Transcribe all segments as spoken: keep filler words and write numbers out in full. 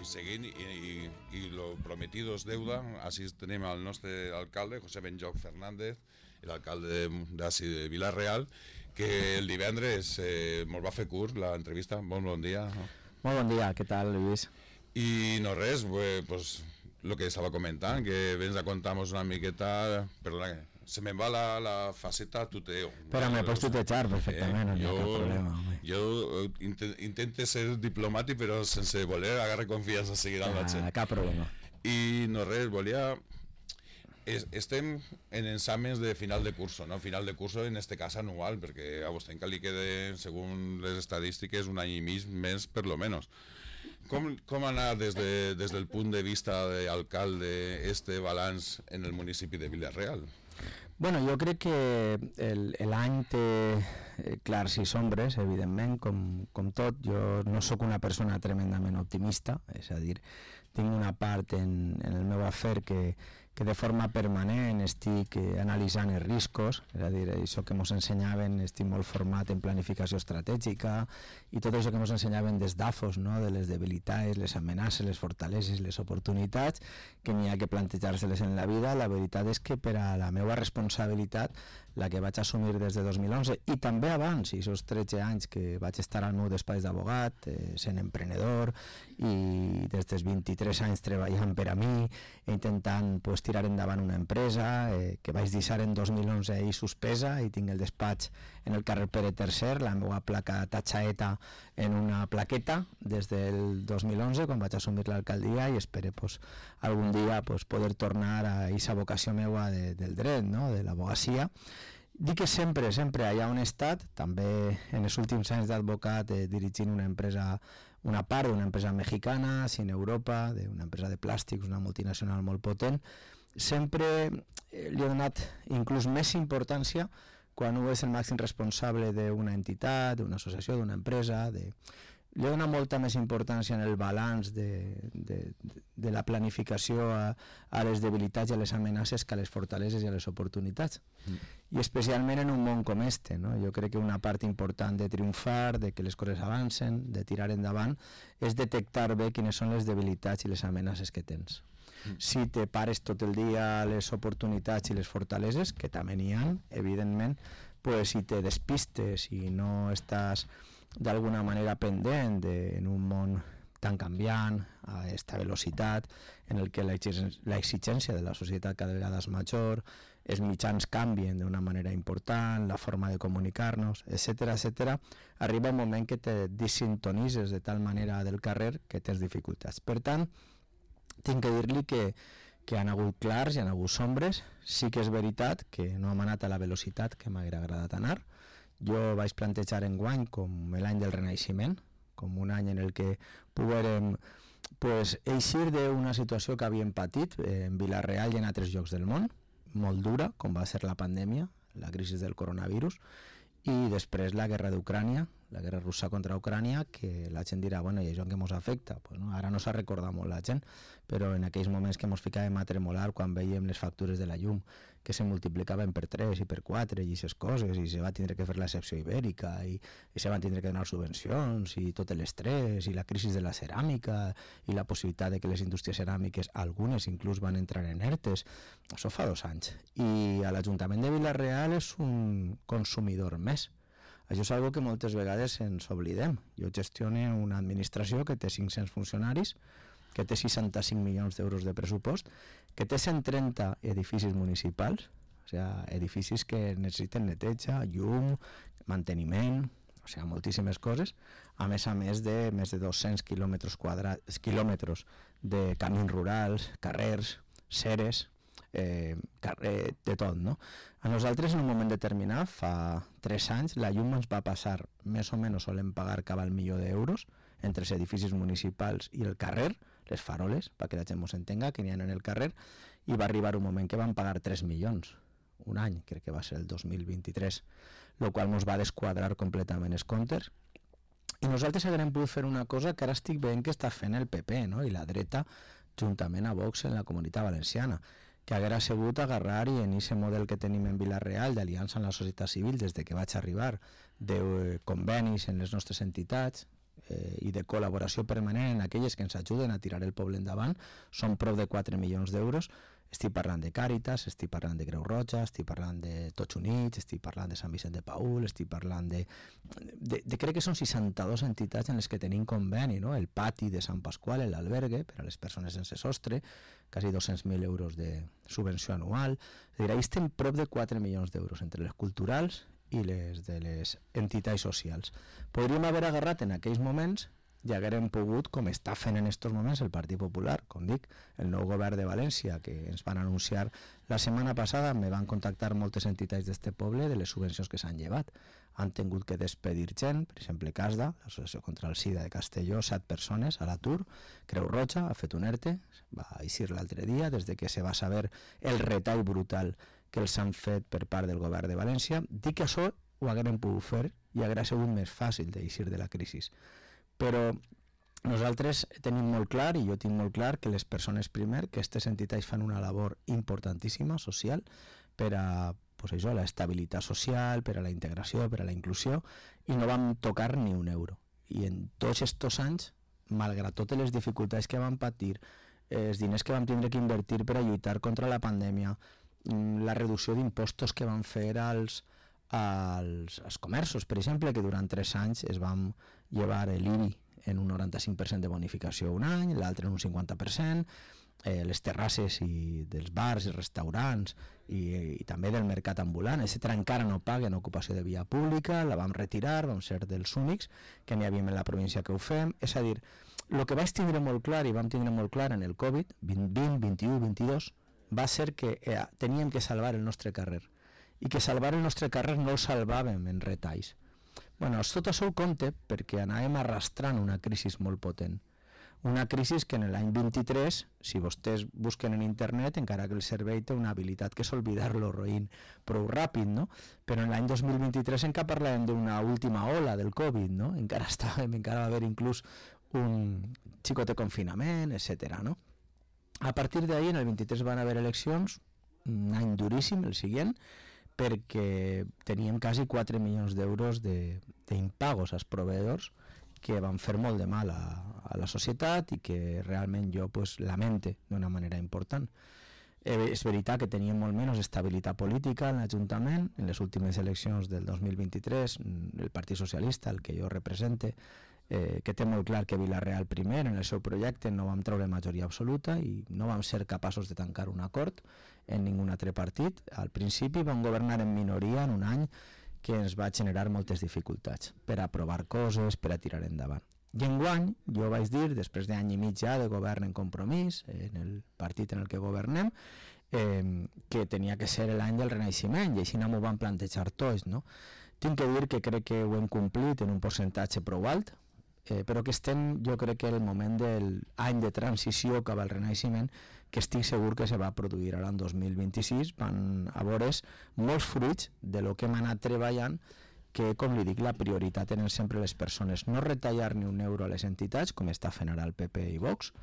i seguint, i, i, i lo prometido és deuda. Així tenim el nostre alcalde, José Benjoc Fernández, l'alcalde d'ací de Vila-real, que el divendres eh, ens va fer curt l'entrevista. Bon, bon dia. Molt bon dia, què tal, Lluís? I no res, pues, pues lo que estava comentant, que vens a contar-nos una miqueta, perdona, se me'n va la, la faceta tuteo. Però me pots tutejar perfectament, eh, no hi ha jo, cap problema. Home. Jo int intento ser diplomàtic, però sense voler agarrar confiança seguida amb la gent. Ah, cap problema. I no res, volia... Es, estem en exàmens de final de curso, no? Final de curso en este cas anual, perquè a vostè encara li queda, segons les estadístiques, un any i mig més per lo menos. Com, com anar des, de, des del punt de vista d'alcalde este balanç en el municipi de Vila-real? Bueno, jo crec que l'any té eh, clars i sombres, evidentment, com, com tot. Jo no sóc una persona tremendament optimista, és a dir, tinc una part en, en el meu afer que, que de forma permanent estic analitzant els riscos, és a dir, això que ens ensenyaven, estic molt format en planificació estratègica i tot això que ens ensenyaven des d'A F O S, no? De les debilitats, les amenaces, les fortaleses, les oportunitats, que n'hi ha que plantejar-se-les en la vida. La veritat és que per a la meva responsabilitat, la que vaig assumir des de dos mil onze i també abans, i aquests tretze anys que vaig estar al meu despatx d'abogat, eh, sent emprenedor i des dels vint-i-tres anys treballant per a mi, intentant pues, tirar endavant una empresa eh, que vaig deixar en dos mil onze i suspesa, i tinc el despatx en el carrer Pere tercer, la meva placa tatxaeta en una plaqueta des del dos mil onze, quan vaig assumir l'alcaldia, i espero pues, algun dia pues, poder tornar a aquesta vocació meua de, del dret, no? De l'abogacia. Dic que sempre, sempre allà on he estat, també en els últims anys d'advocat eh, dirigint una empresa, una part d'una empresa mexicana, Cine Europa, d'una empresa de plàstics, una multinacional molt potent, sempre eh, li he donat inclús més importància quan ho és el màxim responsable d'una entitat, d'una associació, d'una empresa, de... li he donat molta més importància en el balanç de, de, de la planificació a, a les debilitats i a les amenaces que a les fortaleses i a les oportunitats. Mm. I especialment en un món com este, no? Jo crec que una part important de triomfar, de que les coses avancen, de tirar endavant, és detectar bé quines són les debilitats i les amenaces que tens. Mm. Si te pares tot el dia les oportunitats i les fortaleses, que també n'hi ha, evidentment, pues, si te despistes i no estàs d'alguna manera pendent de, en un món tan canviant, a aquesta velocitat, en el que l'exigència de la societat cada vegada és major, els mitjans canvien d'una manera important, la forma de comunicar-nos, etcètera, etcètera, arriba un moment que te desintonitzes de tal manera del carrer que tens dificultats. Per tant, tinc que dir-li que que han hagut clars i han hagut sombres. Sí que és veritat que no hem anat a la velocitat que m'hauria agradat anar. Jo vaig plantejar enguany com l'any del Renaixement, com un any en el que poguérem pues, eixir d'una situació que havíem patit en Vila-real i en altres llocs del món, molt dura, com va ser la pandèmia, la crisi del coronavirus, i després la guerra d'Ucrània, la guerra russa contra Ucrània, que la gent dirà, bueno, i això en què ens afecta? Pues no, ara no s'ha recordat molt la gent, però en aquells moments que ens ficàvem a tremolar quan veiem les factures de la llum, que se multiplicaven per tres i per quatre i aquestes coses, i se va tindre que fer l'excepció ibèrica, i, i se van tindre que donar subvencions, i tot l'estrès, i la crisi de la ceràmica, i la possibilitat de que les indústries ceràmiques, algunes inclús van entrar en ERTES, això fa dos anys. I a l'Ajuntament de Vila-real és un consumidor més. Això és una que moltes vegades ens oblidem. Jo gestiono una administració que té cinc-cents funcionaris, que té seixanta-cinc milions d'euros de pressupost, que té cent trenta edificis municipals, o sigui, edificis que necessiten neteja, llum, manteniment, o sigui, moltíssimes coses, a més a més de més de dos-cents quilòmetres quadrats, quilòmetres de camins rurals, carrers, ceres, Eh, carrer, de tot, no? A nosaltres en un moment determinat, fa tres anys, la llum ens va passar, més o menys solem pagar cap al milió d'euros entre els edificis municipals i el carrer, les faroles, perquè la gent ens entenga, que n'hi ha en el carrer, i va arribar un moment que van pagar tres milions, un any, crec que va ser el dos mil vint-i-tres, el qual ens va desquadrar completament els comptes. I nosaltres haguem pogut fer una cosa que ara estic veient que està fent el P P, no? I la dreta, juntament a Vox en la Comunitat Valenciana, que haguera sigut agarrar i en aquest model que tenim en Vila-real d'aliança amb la societat civil des de que vaig arribar, de convenis en les nostres entitats, eh, i de col·laboració permanent en aquelles que ens ajuden a tirar el poble endavant són prop de quatre milions d'euros. Estic parlant de Càritas, estic parlant de Creu Roja, estic parlant de Tots Units, estic parlant de Sant Vicent de Paül, estic parlant de... de, de crec que són seixanta-dues entitats en les que tenim conveni, no? El pati de Sant Pasqual, l'albergue, per a les persones sense sostre, quasi dos-cents mil euros de subvenció anual. És a dir, ahí estem prop de quatre milions d'euros entre les culturals i les de les entitats socials. Podríem haver agarrat en aquells moments i haguérem pogut, com està fent en aquests moments el Partit Popular, com dic, el nou govern de València, que ens van anunciar la setmana passada, me van contactar moltes entitats d'este poble de les subvencions que s'han llevat. Han tingut que despedir gent, per exemple, CASDA, l'Associació contra el SIDA de Castelló, set persones a l'atur, Creu Roja ha fet un ERTE, va eixir l'altre dia, des de que se va saber el retall brutal que els han fet per part del govern de València. Dic que això ho haguérem pogut fer i hauria sigut més fàcil d'eixir de la crisi. Però nosaltres tenim molt clar, i jo tinc molt clar, que les persones primer, que aquestes entitats fan una labor importantíssima, social, per a pues això, la estabilitat social, per a la integració, per a la inclusió, i no vam tocar ni un euro. I en tots aquests anys, malgrat totes les dificultats que vam patir, els diners que vam tindre que invertir per a lluitar contra la pandèmia, la reducció d'impostos que van fer als, als, als comerços, per exemple, que durant tres anys es van llevar l'I B I en un noranta-cinc per cent de bonificació un any, l'altre en un cinquanta per cent, eh, les terrasses i dels bars i restaurants i, i també del mercat ambulant, etcètera encara no paguen ocupació de via pública, la vam retirar, vam ser dels únics que n'hi havíem en la província que ho fem. És a dir, el que vaig tindre molt clar i vam tindre molt clar en el Covid, vint, vint, vint-i-u, vint-i-dos, va ser que eh, teníem que salvar el nostre carrer i que salvar el nostre carrer no el salvàvem en retalls. Bueno, tot això ho compte perquè anàvem arrastrant una crisi molt potent. Una crisi que en l'any vint-i-tres, si vostès busquen en internet, encara que el cervell té una habilitat que és oblidar-lo roïn prou ràpid, no? Però en l'any dos mil vint-i-tres encara parlàvem d'una última ola del Covid, no? Encara estàvem, encara va haver inclús un xicot de confinament, etcètera, no? A partir d'ahir, en el vint-i-tres van haver eleccions, un any duríssim, el següent, perquè teníem quasi quatre milions d'euros d'impagos als proveïdors que van fer molt de mal a, a la societat i que realment jo pues, lamente d'una manera important. Eh, és veritat que teníem molt menys estabilitat política en l'Ajuntament. En les últimes eleccions del dos mil vint-i-tres, el Partit Socialista, el que jo represente, eh, que té molt clar que Vila-real primer en el seu projecte no vam treure majoria absoluta i no vam ser capaços de tancar un acord en ningú altre partit. Al principi vam governar en minoria en un any que ens va generar moltes dificultats per aprovar coses, per a tirar endavant. I enguany, jo vaig dir, després d'any i mig ja de govern en Compromís, en el partit en el que governem, eh, que tenia que ser l'any del Renaixement, i així no m'ho van plantejar tots, no? Tinc que dir que crec que ho hem complit en un percentatge prou alt, eh, però que estem, jo crec que el moment del any de transició cap al Renaixement, que estic segur que se va produir ara en dos mil vint-i-sis, van a veure's molts fruits de lo que hem anat treballant, que, com li dic, la prioritat tenen sempre les persones. No retallar ni un euro a les entitats, com està fent ara el P P i Vox,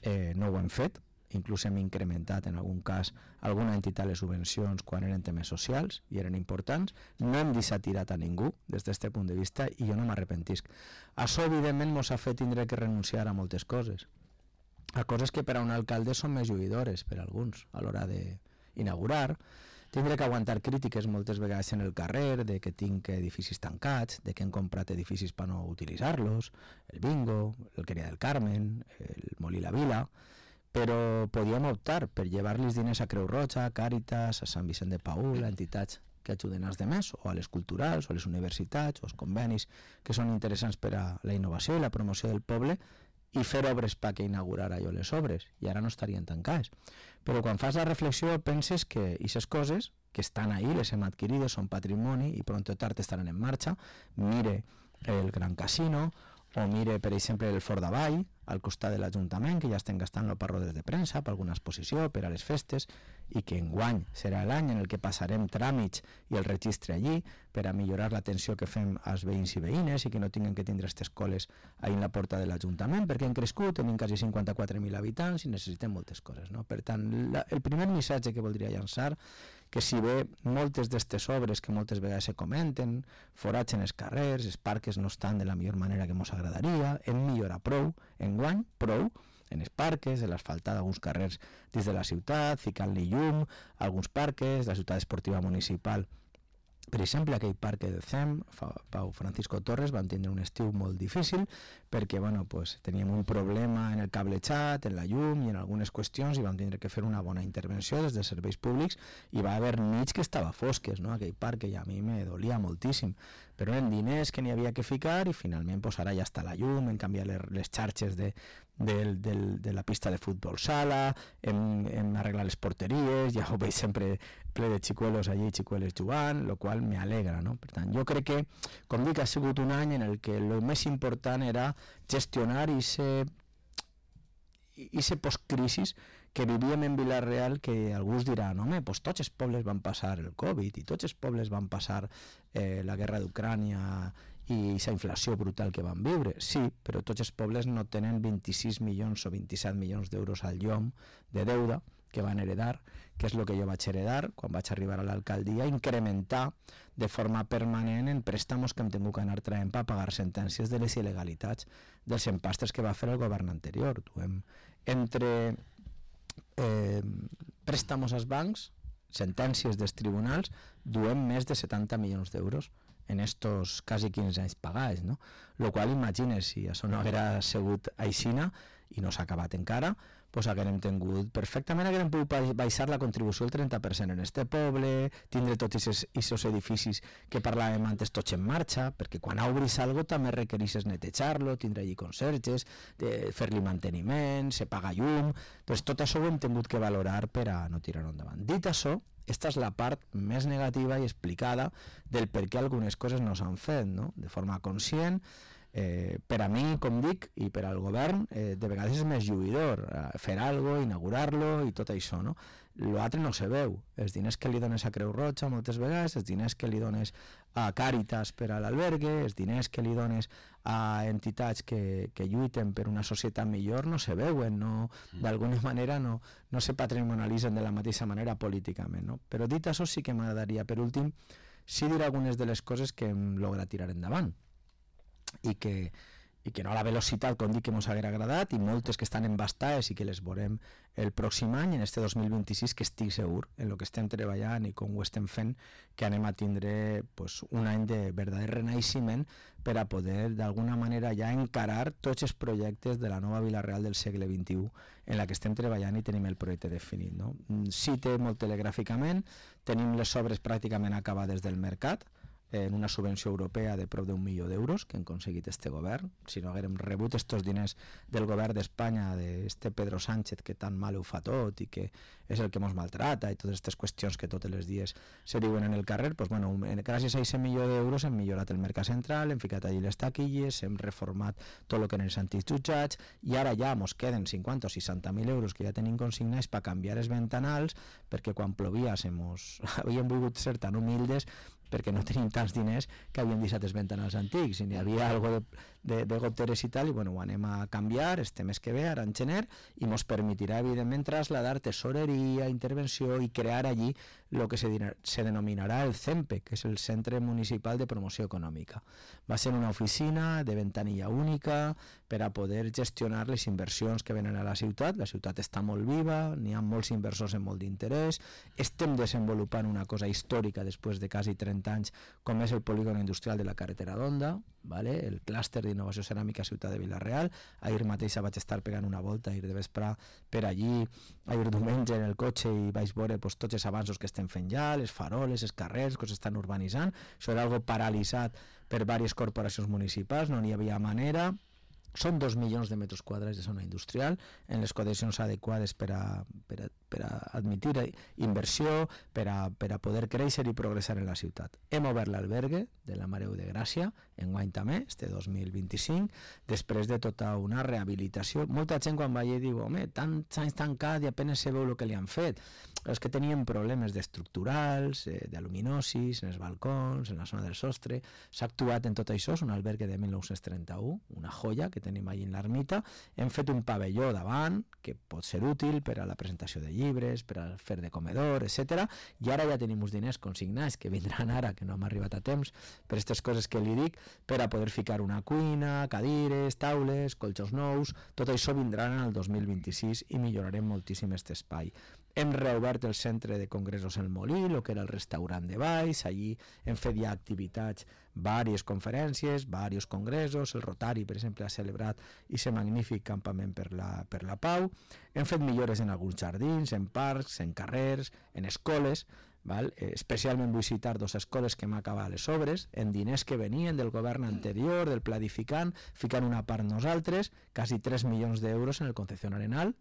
eh, no ho hem fet, inclús hem incrementat en algun cas alguna entitat les subvencions quan eren temes socials i eren importants. No hem deixat tirat a ningú des d'aquest punt de vista i jo no m'arrepentisc. Això, evidentment, ens ha fet tindre que renunciar a moltes coses, a coses que per a un alcalde són més lluïdores per a alguns a l'hora d'inaugurar, tindré que aguantar crítiques moltes vegades en el carrer de que tinc edificis tancats, de que hem comprat edificis per no utilitzar-los, el Bingo, el Queria del Carmen, el Molí la Vila, però podíem optar per llevar-los diners a Creu Roja, a Càritas, a Sant Vicent de Paül, a entitats que ajuden als demés, o a les culturals, o a les universitats, o als convenis que són interessants per a la innovació i la promoció del poble, i fer obres perquè inaugurar allò les obres, i ara no estarien tancades. Però quan fas la reflexió penses que aquestes coses que estan ahí, les hem adquirides, són patrimoni i pront o tard estaran en marxa. Mire el Gran Casino, o mire, per exemple, el Fort d'Avall, al costat de l'Ajuntament, que ja estem gastant per rodes de premsa, per alguna exposició, per a les festes, i que enguany serà l'any en el que passarem tràmits i el registre allí, per a millorar l'atenció que fem als veïns i veïnes i que no tinguin que tindre aquestes coles ahí en la porta de l'Ajuntament, perquè hem crescut, tenim quasi cinquanta-quatre mil habitants i necessitem moltes coses, no? Per tant, la, el primer missatge que voldria llançar, que si bé moltes d'aquestes obres que moltes vegades se comenten, foratgen els carrers, els parques no estan de la millor manera que ens agradaria, hem millorat prou, enguany, prou, en els parques, en l'asfaltat d'alguns carrers dins de la ciutat, ficant-li llum a alguns parques, la ciutat esportiva municipal. Per exemple, aquell parc del C E M, Pau Francisco Torres, van tindre un estiu molt difícil perquè bueno, pues, teníem un problema en el cablejat, en la llum i en algunes qüestions i vam tindre que fer una bona intervenció des dels serveis públics i va haver nits que estava fosques, no? Aquell parc que a mi me dolia moltíssim, però eren diners que n'hi havia que ficar i finalment pues, ara ja està la llum, hem canviat les, les xarxes de, de, de, de la pista de futbol sala, hem, hem arreglat les porteries, ja ho veig sempre ple de xicuelos allí, xicueles jugant, el qual me alegra, no? Per tant, jo crec que, com dic, ha sigut un any en el que el més important era gestionar i ser i ser postcrisis que vivíem en Vila-real, que algú dirà, no, home, pues tots els pobles van passar el Covid i tots els pobles van passar eh, la guerra d'Ucrània i aquesta inflació brutal que van viure. Sí, però tots els pobles no tenen vint-i-sis milions o vint-i-set milions d'euros al llom de deuda que van heredar, que és el que jo vaig heredar quan vaig arribar a l'alcaldia, incrementar de forma permanent en préstamos que hem tingut que anar traient per pagar sentències de les il·legalitats dels empastres que va fer el govern anterior. Duem entre eh, préstamos als bancs, sentències dels tribunals, duem més de setanta milions d'euros en estos quasi quinze anys pagats, no? Lo qual, imagines, si això no haguera sigut aixina i no s'ha acabat encara, pues haguérem tingut perfectament, haguérem pogut baixar la contribució el trenta per cent en este poble, tindre tots aquests edificis que parlàvem antes tots en marxa, perquè quan obris algo també requereixes netejar-lo, tindre allí conserges, fer-li manteniment, se paga llum, doncs tot això ho hem tingut que valorar per a no tirar-ho endavant. Dit això, esta és la part més negativa i explicada del per què algunes coses no s'han fet, no? De forma conscient. Eh, per a mi, com dic, i per al govern, eh, de vegades és més lluïdor eh, fer alguna cosa, inaugurar-lo i tot això, no? L'altre no se veu. Els diners que li dones a Creu Roja moltes vegades, els diners que li dones a Càritas per a l'albergue, els diners que li dones a entitats que, que lluiten per una societat millor no se veuen, no, d'alguna manera no, no se patrimonialitzen de la mateixa manera políticament, no? Però dit això sí que m'agradaria, per últim, sí dir algunes de les coses que hem lograt tirar endavant i que, i que no a la velocitat com dic que ens haguera agradat i moltes que estan embastades i que les veurem el pròxim any, en este dos mil vint-i-sis, que estic segur en el que estem treballant i com ho estem fent, que anem a tindre pues, un any de verdader renaixement per a poder d'alguna manera ja encarar tots els projectes de la nova Vila-real del segle vint-i-u en la que estem treballant i tenim el projecte definit, no? Cite molt telegràficament, tenim les obres pràcticament acabades del mercat, en una subvenció europea de prop d'un milió d'euros que hem aconseguit este govern. Si no haguérem rebut estos diners del govern d'Espanya, d'este Pedro Sánchez que tan mal ho fa tot i que és el que ens maltrata i totes aquestes qüestions que tots els dies se diuen en el carrer, pues, bueno, gràcies a aquest milió d'euros hem millorat el mercat central, hem ficat allí les taquilles, hem reformat tot el que eren els antics jutjats i ara ja ens queden cinquanta o seixanta mil euros que ja tenim consignats per canviar els ventanals, perquè quan plovia mos... havíem volgut ser tan humildes perquè no tenim tants diners que havíem deixat els ventanals antics i n'hi havia algo de, de, de goteres i tal, i bueno, ho anem a canviar este mes que ve, ara en gener, i ens permetirà evidentment trasladar tesoreria, intervenció i crear allí el que se, se denominarà el CEMPE, que és el Centre Municipal de Promoció Econòmica. Va ser una oficina de ventanilla única per a poder gestionar les inversions que venen a la ciutat. La ciutat està molt viva, n'hi ha molts inversors amb molt d'interès, estem desenvolupant una cosa històrica després de quasi trenta anys, com és el polígon industrial de la carretera d'Onda, vale? El clúster d'innovació ceràmica Ciutat de Vila-real. Ahir mateix vaig estar pegant una volta, ahir de vespre per allí, ahir diumenge en el cotxe, i vaig veure pues, tots els avanços que estem fent ja, les faroles, els carrers que s'estan urbanitzant. Això era algo paralitzat per diverses corporacions municipals, no n'hi havia manera. Són dos milions de metres quadrats de zona industrial en les condicions adequades per a, per a, per a admitir inversió, per a, per a poder créixer i progressar en la ciutat. Hem obert l'albergue de la Mare de Gràcia, enguany també, este dos mil vint-i-cinc, després de tota una rehabilitació. Molta gent quan va allà diu, home, tants anys tancat i apenas se veu el que li han fet. És que tenien problemes d'estructurals, eh, d'aluminosis, en els balcons, en la zona del sostre. S'ha actuat en tot això, és un albergue de mil nou-cents trenta-u, una joia que tenim allà en l'ermita. Hem fet un pavelló davant, que pot ser útil per a la presentació de llibres, per a fer de comedor, etcètera. I ara ja tenim uns diners consignats que vindran ara, que no hem arribat a temps, per aquestes coses que li dic, per a poder ficar una cuina, cadires, taules, colxos nous. Tot això vindrà en el dos mil vint-i-sis i millorarem moltíssim aquest espai. Hem reobert el centre de congressos El Molí, el que era el restaurant de Valls. Allí hem fet ja activitats, diverses conferències, diversos congressos. El Rotari, per exemple, ha celebrat aquest magnífic campament per la, per la pau. Hem fet millores en alguns jardins, en parcs, en carrers, en escoles. Val? Eh, especialment vull citar dues escoles que hem acabat les obres, en diners que venien del govern anterior, del planificant, ficant una part nosaltres, quasi tres milions d'euros en el Concepción Arenal,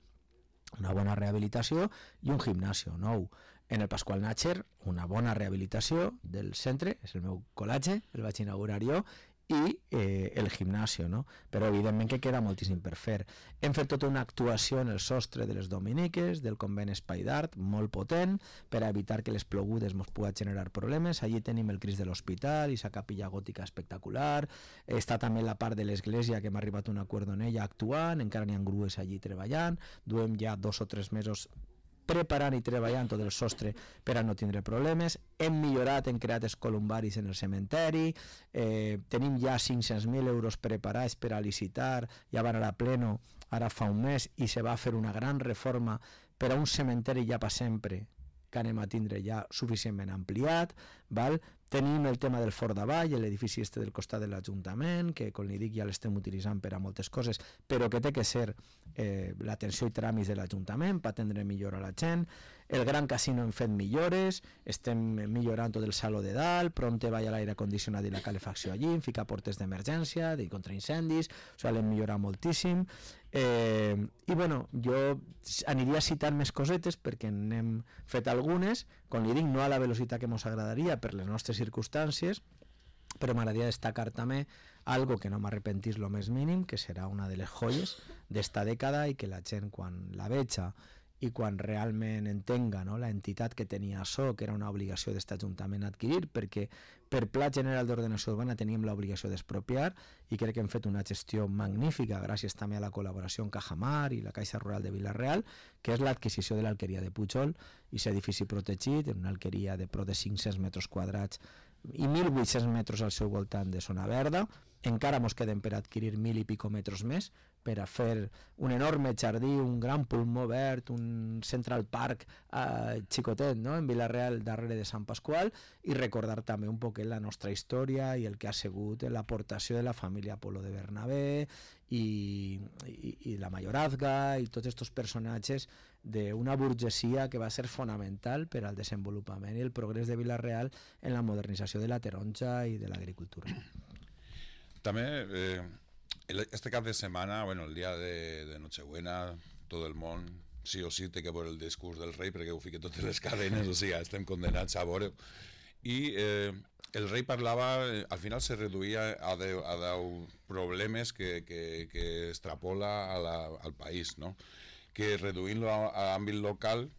una bona rehabilitació i un gimnasio nou. En el Pasqual Natxer, una bona rehabilitació del centre, és el meu col·legi, el vaig inaugurar jo, i eh, el gimnasio, no? Però evidentment que queda moltíssim per fer. Hem fet tota una actuació en el sostre de les Dominiques, del convent Espai d'Art, molt potent, per a evitar que les plogudes ens pugui generar problemes. Allí tenim el Crist de l'Hospital i sa capilla gòtica espectacular. Està també la part de l'església que hem arribat a un acord en ella actuant, encara n'hi ha grues allí treballant. Duem ja dos o tres mesos preparant i treballant tot el sostre per a no tindre problemes. Hem millorat, hem creat els columbaris en el cementeri, eh, tenim ja cinc-cents mil euros preparats per a licitar, ja van anar a pleno ara fa un mes, i se va fer una gran reforma per a un cementeri ja per sempre que anem a tindre ja suficientment ampliat, val? Tenim el tema del Fort d'Avall, l'edifici este del costat de l'Ajuntament, que, com li dic, ja l'estem utilitzant per a moltes coses, però que té que ser eh, l'atenció i tràmits de l'Ajuntament per atendre millor a la gent. El Gran Casino hem fet millores, estem millorant tot el saló de dalt, pronte va l'aire condicionat i la calefacció allí, hem ficat portes d'emergència, de contraincendis, o sigui, l'hem millorat moltíssim. Eh, I bueno, jo aniria citant més cosetes perquè n'hem fet algunes, com li dic, no a la velocitat que ens agradaria per les nostres circumstàncies, però m'agradaria destacar també algo que no m'arrepentís lo més mínim, que serà una de les joies d'esta dècada i que la gent quan la veja i quan realment entenga, no, la entitat que tenia això, que era una obligació d'aquest Ajuntament adquirir, perquè per Pla General d'Ordenació Urbana teníem l'obligació d'expropiar i crec que hem fet una gestió magnífica gràcies també a la col·laboració amb Cajamar i la Caixa Rural de Vila-real, que és l'adquisició de l'alqueria de Pujol, i aquest edifici protegit, en una alqueria de prop de cinc-cents metres quadrats i mil vuit-cents metres al seu voltant de zona verda. Encara ens queden per adquirir mil i pico metres més per a fer un enorme jardí, un gran pulmó verd, un Central Park eh, xicotet, no? En Vila-real, darrere de Sant Pasqual, i recordar també un poc la nostra història i el que ha sigut l'aportació de la família Polo de Bernabé i, i, i la mayorazga i tots aquests personatges d'una burgesia que va ser fonamental per al desenvolupament i el progrés de Vila-real en la modernització de la taronja i de l'agricultura. També, eh, este cap de setmana, bueno, el dia de, de Nochebuena, tot el món, sí o sí, té que veure el discurs del rei perquè ho fica totes les cadenes, o sigui, estem condenats a veure. I eh, el rei parlava, al final se reduïa a deu, a deu problemes que, que, que extrapola a la, al país, no? Que reduint-lo a, a àmbit local,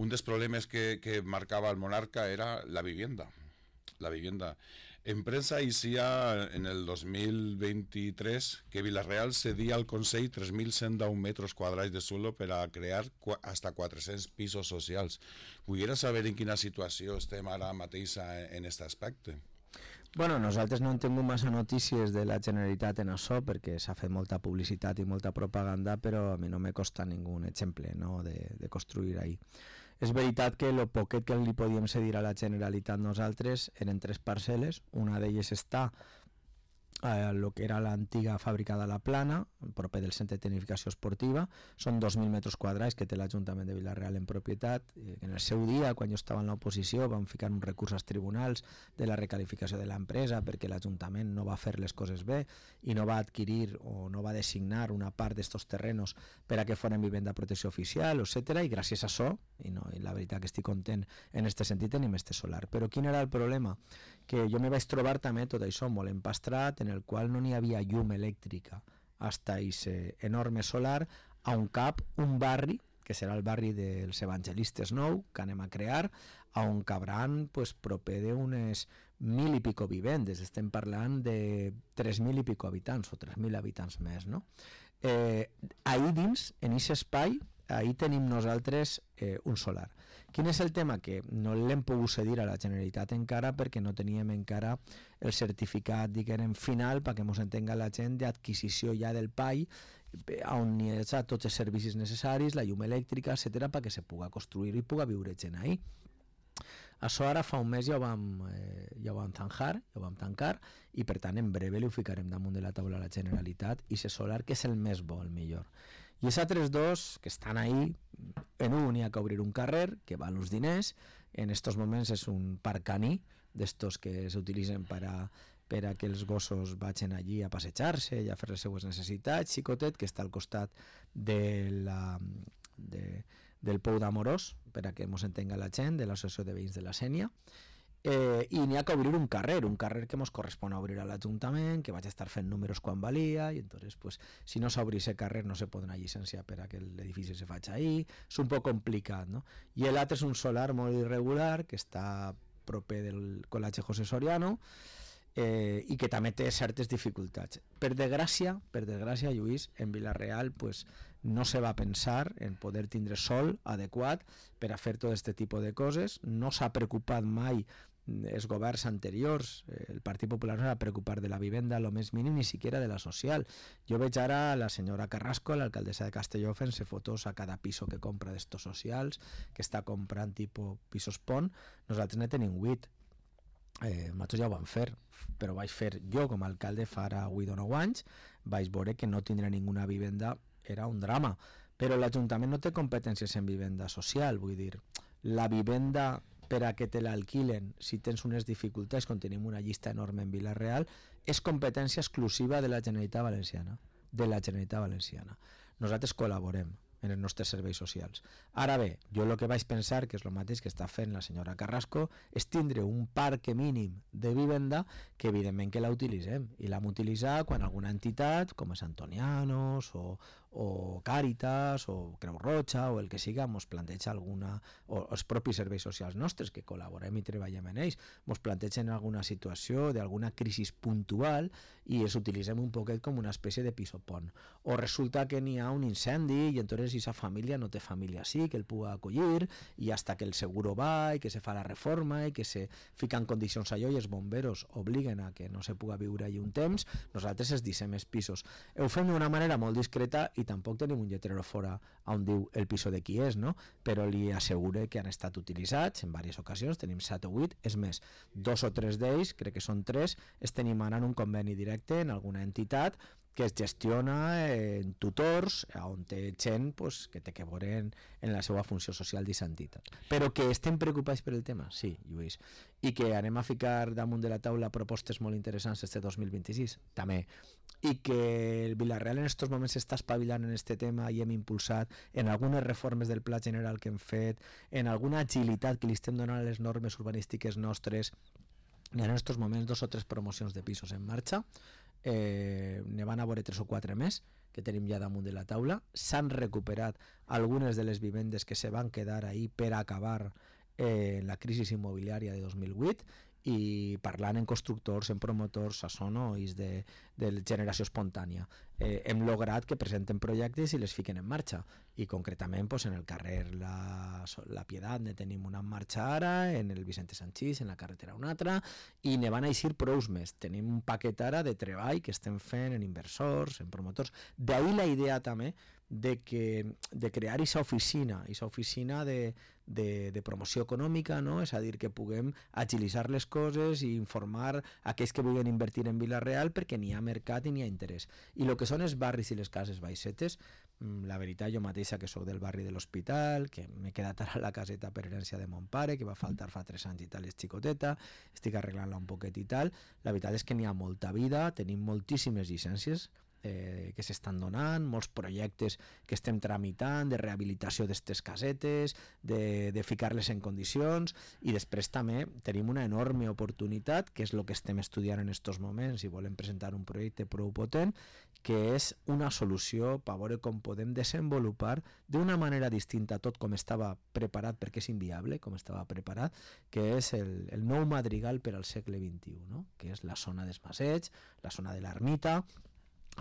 un dels problemes que, que marcava el monarca era la vivienda. La vivienda. En prensa inicia en el dos mil veintitrés que Vila-real cedía al Consell tres mil cent deu metres quadrats de suelo per a crear hasta quatre-cents pisos socials. Volguera saber en quina situació estem ara mateix en aquest aspecte. Bueno, nosaltres no hem tingut massa notícies de la Generalitat en això perquè s'ha fet molta publicitat i molta propaganda, però a mi no me costa ningú exemple, no, de, de construir ahí. És veritat que el poquet que li podíem cedir a la Generalitat nosaltres eren tres parcel·les, una d'elles està a lo que era l'antiga fàbrica de la Plana, proper del centre de tecnificació esportiva. Són dos mil metres quadrats que té l'Ajuntament de Vila-real en propietat. En el seu dia, quan jo estava en l'oposició, vam ficar un recurs als tribunals de la recalificació de l'empresa perquè l'Ajuntament no va fer les coses bé i no va adquirir o no va designar una part d'estos terrenos per a que foren vivenda de protecció oficial, etcètera. I gràcies a això, i, no, i la veritat que estic content en aquest sentit, tenim este solar. Però quin era el problema? Que jo me vaig trobar també tot això molt empastrat, en el qual no n'hi havia llum elèctrica hasta aquest enorme solar, a un cap un barri, que serà el barri dels evangelistes nou, que anem a crear, on cabran pues, proper d'unes mil i pico vivendes, estem parlant de tres mil i pico habitants, o tres mil habitants més, no? Eh, ahí dins, en aquest espai, ahí tenim nosaltres eh, un solar. Quin és el tema? Que no l'hem pogut cedir a la Generalitat encara perquè no teníem encara el certificat, diguem, final, perquè ens entenga la gent d'adquisició ja del P A I, on hi ha tots els servicis necessaris, la llum elèctrica, etcètera, perquè se puga construir i puga viure gent ahí. Això ara fa un mes ja ho vam, eh, ja ho vam tancar, ja ho vam tancar, i per tant en breu li ho ficarem damunt de la taula a la Generalitat, i ese solar que és el més bo, el millor. I els altres dos que estan ahí, en un hi ha que obrir un carrer que val uns diners, en estos moments és un parc caní d'estos que s'utilitzen per a, per a que els gossos vagin allí a passejar-se i a fer les seues necessitats, xicotet, que està al costat de la, de, del Pou d'Amorós, per a que ens entenga la gent, de l'Associació de Veïns de la Sénia. Eh, i n'hi ha que obrir un carrer, un carrer que ens correspon a obrir a l'Ajuntament, que vaig estar fent números quan valia, i entonces, pues, si no s'obri aquest carrer no se podrà llicenciar per a que l'edifici se faci ahí, és un poc complicat, no? I l'altre és un solar molt irregular que està proper del Col·legi José Soriano, eh, i que també té certes dificultats. Per desgràcia, per desgràcia, Lluís, en Vila-real pues, no se va pensar en poder tindre sol adequat per a fer tot aquest tipus de coses, no s'ha preocupat mai els governs anteriors, el Partit Popular no s'ha preocupat de la vivenda a lo més mínim, ni siquiera de la social. Jo veig ara la senyora Carrasco, l'alcaldessa de Castelló, fent-se fotos a cada piso que compra d'estos socials, que està comprant tipus pisos pont. Nosaltres ne tenim huit. Eh, nosaltres ja ho vam fer, però vaig fer jo com a alcalde fa ara huit o nou anys, vaig veure que no tindre ninguna vivenda era un drama, però l'Ajuntament no té competències en vivenda social, vull dir, la vivenda per a que te l'alquilen si tens unes dificultats, com tenim una llista enorme en Vila-real, és competència exclusiva de la Generalitat Valenciana, de la Generalitat Valenciana. Nosaltres col·laborem en els nostres serveis socials. Ara bé, jo el que vaig pensar, que és el mateix que està fent la senyora Carrasco, és tindre un parc mínim de vivenda que evidentment que la utilitzem, i l'hem utilitzat quan alguna entitat, com és Antonianos o, o Càritas o Creu Roja o el que siga, ens planteja alguna, o els propis serveis socials nostres que col·laborem i treballem en ells, ens plantegen alguna situació d'alguna crisi puntual i els utilitzem un poquet com una espècie de piso pont. O resulta que n'hi ha un incendi i entonces esa família no té família sí que el puga acollir i hasta que el seguro va i que se fa la reforma i que se fica en condicions allò i els bomberos obliguen a que no se puga viure allí un temps, nosaltres es dissem els pisos. Ho fem d'una manera molt discreta i tampoc tenim un lletrero fora on diu el piso de qui és, no? Però li assegure que han estat utilitzats en diverses ocasions, tenim set o vuit, és més, dos o tres d'ells, crec que són tres, es tenim ara en un conveni directe en alguna entitat que es gestiona en tutors on té gent pues, que té que veure en, en la seva funció social d'aquesta entitat. Però que estem preocupats per el tema? Sí, Lluís. I que anem a ficar damunt de la taula propostes molt interessants este dos mil vint-i-sis? També. I que el Vila-real en aquests moments s'està espavilant en aquest tema i hem impulsat en algunes reformes del Pla General que hem fet, en alguna agilitat que li estem donant a les normes urbanístiques nostres. Hi ha en aquests moments dos o tres promocions de pisos en marxa. Eh, ne van a veure tres o quatre més que tenim ja damunt de la taula. S'han recuperat algunes de les vivendes que se van quedar ahí per acabar eh, la crisi immobiliària de dos mil vuit, i parlant en constructors, en promotors, això no és de, de generació espontània. eh, hem lograt que presenten projectes i les fiquen en marxa. I concretament pues, en el carrer La, la Piedat ne tenim una en marxa ara, en el Vicente Sanchís, en la carretera una altra, i ne van a eixir prous més. Tenim un paquet ara de treball que estem fent en inversors, en promotors. D'ahí la idea també de, que, de crear aquesta oficina, aquesta oficina de, de, de promoció econòmica, no? És a dir, que puguem agilitzar les coses i informar aquells que vulguin invertir en Vila-real perquè n'hi ha mercat i n'hi ha interès. I el que són els barris i les cases baixetes, la veritat, jo mateixa que sóc del barri de l'Hospital, que m'he quedat ara a la caseta per herència de mon pare, que va faltar fa tres anys i tal, és xicoteta, estic arreglant-la un poquet i tal, la veritat és que n'hi ha molta vida, tenim moltíssimes llicències eh, que s'estan donant, molts projectes que estem tramitant de rehabilitació d'aquestes casetes, de, de ficar-les en condicions, i després també tenim una enorme oportunitat, que és el que estem estudiant en aquests moments i volem presentar un projecte prou potent, que és una solució per veure com podem desenvolupar d'una manera distinta tot com estava preparat, perquè és inviable com estava preparat, que és el, el nou madrigal per al segle vint-i-u, no? Que és la zona dels Masets, la zona de l'Ermita,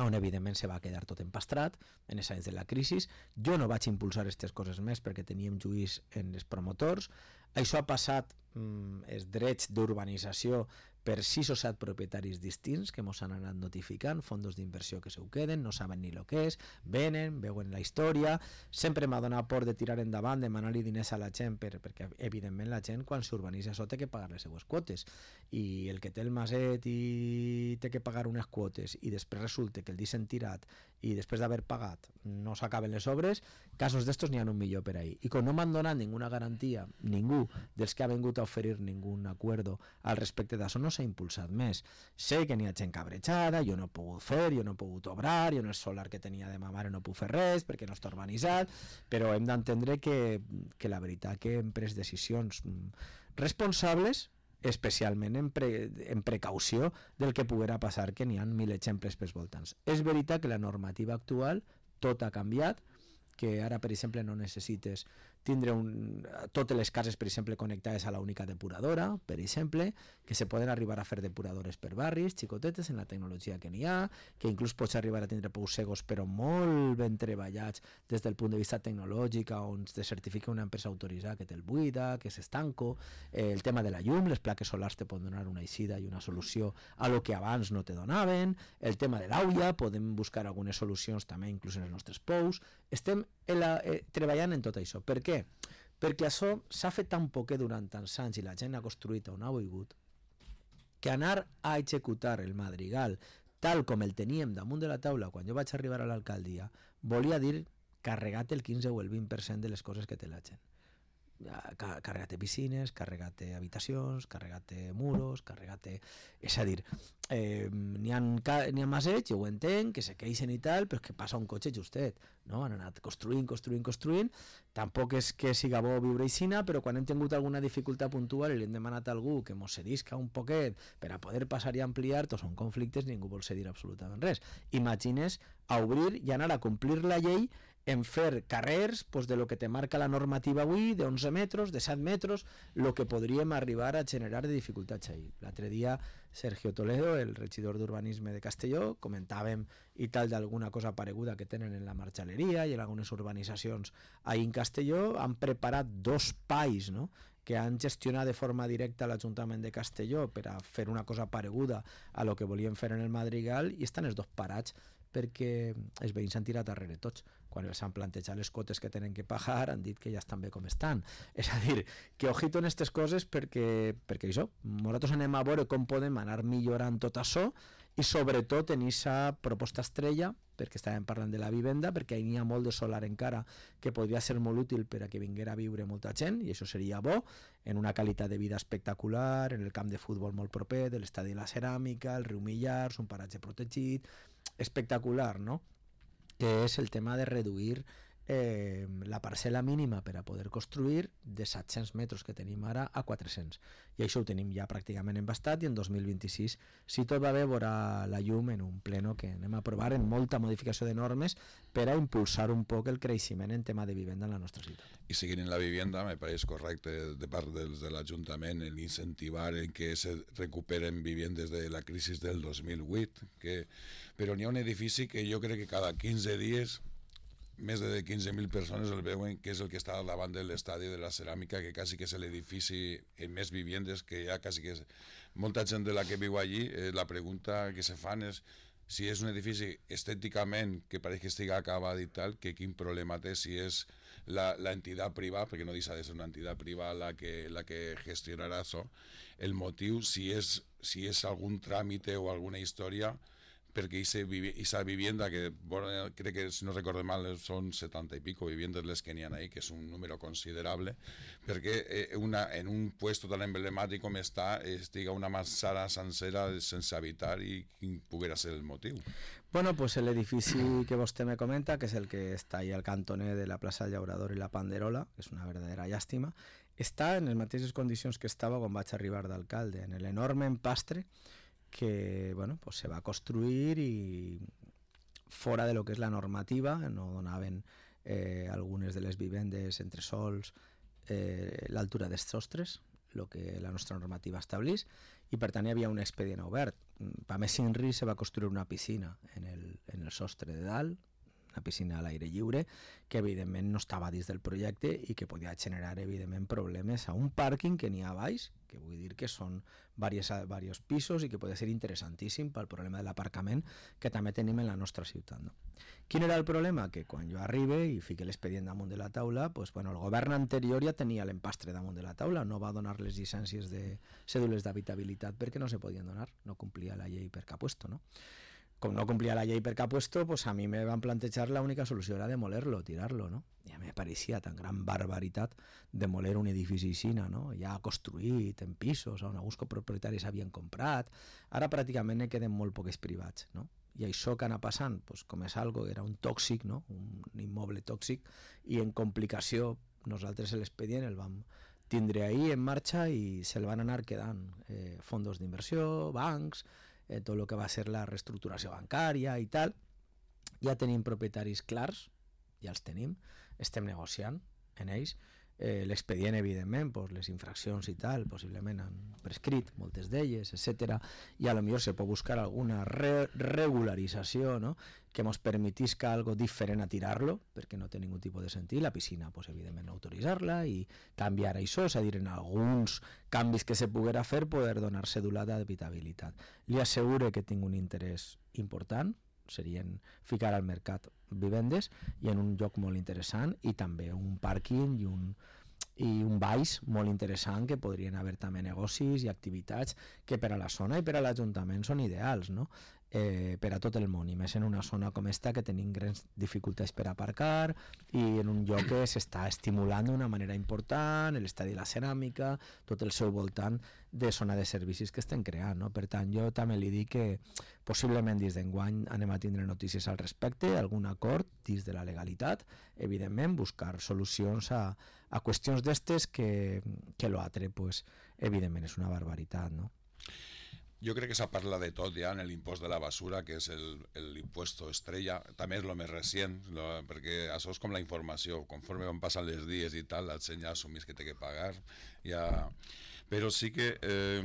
on evidentment se va quedar tot empastrat en els anys de la crisi. Jo no vaig impulsar aquestes coses més perquè teníem juís en els promotors. Això ha passat, mm, els drets d'urbanització, per sis o set propietaris distints que ens han anat notificant, fondos d'inversió que se ho queden, no saben ni el que és, venen, veuen la història. Sempre m'ha donat por de tirar endavant, demanar-li diners a la gent, per, perquè evidentment la gent quan s'urbanitza això té que pagar les seues quotes, i el que té el maset i té que pagar unes quotes i després resulta que el deixen tirat i després d'haver pagat no s'acaben les obres, casos d'estos n'hi ha un millor per ahí. I com no m'han donat ninguna garantia, ningú dels que ha vingut a oferir ningun acuerdo al respecte d'això, no s'ha impulsat més. Sé que n'hi ha gent cabrejada, jo no he pogut fer, jo no he pogut obrar, jo no és solar que tenia de ma mare, no puc fer res perquè no està urbanitzat, però hem d'entendre que, que la veritat que hem pres decisions responsables, especialment en, pre, en precaució del que poguera passar, que n'hi ha mil exemples pels voltants. És veritat que la normativa actual tot ha canviat, que ara, per exemple, no necessites tindre un, totes les cases, per exemple, connectades a la única depuradora, per exemple, que se poden arribar a fer depuradores per barris, xicotetes, en la tecnologia que n'hi ha, que inclús pots arribar a tindre pousegos, però molt ben treballats des del punt de vista tecnològic, on te certifica una empresa autoritzada que te'l buida, que és estanco, eh, el tema de la llum, les plaques solars te poden donar una eixida i una solució a lo que abans no te donaven, el tema de l'aulla, podem buscar algunes solucions també inclús en els nostres pous. Estem en la, eh, treballant en tot això. Per què? Perquè això s'ha fet tan poquet durant tants anys i la gent ha construït on ha volgut, que anar a executar el madrigal tal com el teníem damunt de la taula quan jo vaig arribar a l'alcaldia volia dir carregat el quinze o el vint per cent de les coses que té la gent. Carregat-te piscines, carregat-te habitacions, carregat-te muros, carregat-te... És a dir, eh, n'hi ha, n'hi ha masets, jo ho entenc, que se queixen i tal, però és que passa un cotxe justet, no? Han anat construint, construint, construint, tampoc és que siga bo viure aixina, però quan hem tingut alguna dificultat puntual i li hem demanat a algú que mos cedisca un poquet per a poder passar i ampliar, tots són conflictes, ningú vol cedir absolutament res. Imagines a obrir i anar a complir la llei en fer carrers pues, de lo que te marca la normativa avui, de onze metres, de set metres, lo que podríem arribar a generar de dificultats ahí. L'altre dia Sergio Toledo, el regidor d'Urbanisme de Castelló, comentàvem i tal d'alguna cosa pareguda que tenen en la marxaleria i en algunes urbanitzacions ahí en Castelló, han preparat dos pais, no?, que han gestionat de forma directa l'Ajuntament de Castelló per a fer una cosa pareguda a lo que volien fer en el Madrigal, i estan els dos parats perquè els veïns s'han tirat darrere tots. Quan els han plantejat les quotes que tenen que pagar han dit que ja estan bé com estan. És a dir, que ojito en aquestes coses perquè, perquè això, nosaltres anem a veure com podem anar millorant tot això i sobretot en aquesta proposta estrella, perquè estàvem parlant de la vivenda, perquè n'hi ha molt de solar encara que podria ser molt útil per a que vinguera a viure molta gent, i això seria bo, en una qualitat de vida espectacular, en el camp de futbol molt proper, de l'estadi de la Ceràmica, el riu Millars, un paratge protegit, espectacular, no?, que és el tema de reduir eh, la parcel·la mínima per a poder construir de set-cents metres que tenim ara a quatre-cents. I això ho tenim ja pràcticament embastat i en dos mil vint-i-sis, si tot va bé, veurà la llum en un pleno que anem a aprovar en molta modificació de normes per a impulsar un poc el creixement en tema de vivenda en la nostra ciutat. Y seguir en la vivienda, me parece correcto de parte del, del Ayuntamiento el incentivar en que se recuperen viviendas de la crisis del dos mil vuit, que, però n'hi ha un edifici que jo crec que cada quinze dies més de quinze mil persones el veuen, que és el que està davant de l'estadi de la ceràmica, que quasi que és l'edifici amb més viviendes, que ja quasi que és molta gent de la que viu allí. Eh, la pregunta que se fan és si és un edifici estèticament que pareix que estigui acabat i tal, que quin problema té si és la, la entitat privada, perquè no deixa de ser una entitat privada la que, la que gestionarà això, el motiu, si és, si és algun tràmite o alguna història, perquè aquesta vivienda, que bueno, crec que si no recordo mal són setanta i pico viviendas les que n'hi ha ahí, que és un número considerable, perquè eh, una, en un puesto tan emblemàtic com està, estiga una manzana sencera sense habitar i quin poguera ser el motiu. Bueno, pues l'edifici que vostè me comenta, que és el que està ahí al cantoner de la plaça del Llaurador i la Panderola, que és una verdadera llàstima, està en les mateixes condicions que estava quan vaig arribar d'alcalde, en l'enorme empastre que bueno, pues se va construir i fora de lo que és la normativa, no donaven eh, algunes de les vivendes entre sols eh, l'altura dels sostres, el que la nostra normativa estableix, i per tant hi havia un expedient obert. Per més Inri se va construir una piscina en el, en el sostre de dalt, una piscina a l'aire lliure, que evidentment no estava dins del projecte i que podia generar evidentment problemes a un pàrquing que n'hi ha a baix, que vull dir que són diversos pisos i que pot ser interessantíssim pel problema de l'aparcament que també tenim en la nostra ciutat. No? Quin era el problema? Que quan jo arribe i fique l'expedient damunt de la taula, pues, bueno, el govern anterior ja tenia l'empastre damunt de la taula, no va donar les llicències de cèdules d'habitabilitat perquè no se podien donar, no complia la llei per cap puesto, no? Com no complia la llei per cap puesto, pues a mi me van plantejar la única solució era demoler-lo, tirar-lo, no? I a mi me pareixia tan gran barbaritat demoler un edifici aixina, no? Ja construït en pisos on alguns propietaris havien comprat, ara pràcticament ne queden molt pocs privats, no? I això que anava passant, pues, com és algo que era un tòxic, no? Un immoble tòxic, i en complicació nosaltres l'expedient el vam tindre ahir en marxa i se'l van anar quedant eh, fondos d'inversió, bancs, Eh, tot el que va ser la reestructuració bancària i tal. Ja tenim propietaris clars, ja els tenim, estem negociant en ells. Eh, l'expedient, evidentment, pues, les infraccions i tal, possiblement han prescrit moltes d'elles, etcètera. I a lo millor se pot buscar alguna re regularització, no? Que ens permetisca algo diferent a tirar-lo, perquè no té ningú tipus de sentit. La piscina, pues, evidentment, autoritzar-la i canviar això, és a dir, en alguns canvis que se poguera fer, poder donar cèdula d'habitabilitat. Li asseguro que tinc un interès important, serien ficar al mercat vivendes i en un lloc molt interessant i també un pàrquing i un, i un baix molt interessant que podrien haver també negocis i activitats que per a la zona i per a l'Ajuntament són ideals, no? Eh, per a tot el món, i més en una zona com esta que tenim grans dificultats per aparcar i en un lloc que s'està estimulant d'una manera important, l'estadi de la ceràmica, tot el seu voltant de zona de servicis que estem creant, no? Per tant, jo també li dic que possiblement dins d'enguany anem a tindre notícies al respecte, algun acord dins de la legalitat, evidentment buscar solucions a, a qüestions d'estes que, que l'altre, pues, evidentment és una barbaritat, no? Jo crec que s'ha parlat de tot ja en l'impost de la basura, que és l'impost estrella, també és el més recent, lo, perquè això és com la informació, conforme van passant els dies i tal, la gent ja assumís que té que pagar, ja... però sí que eh,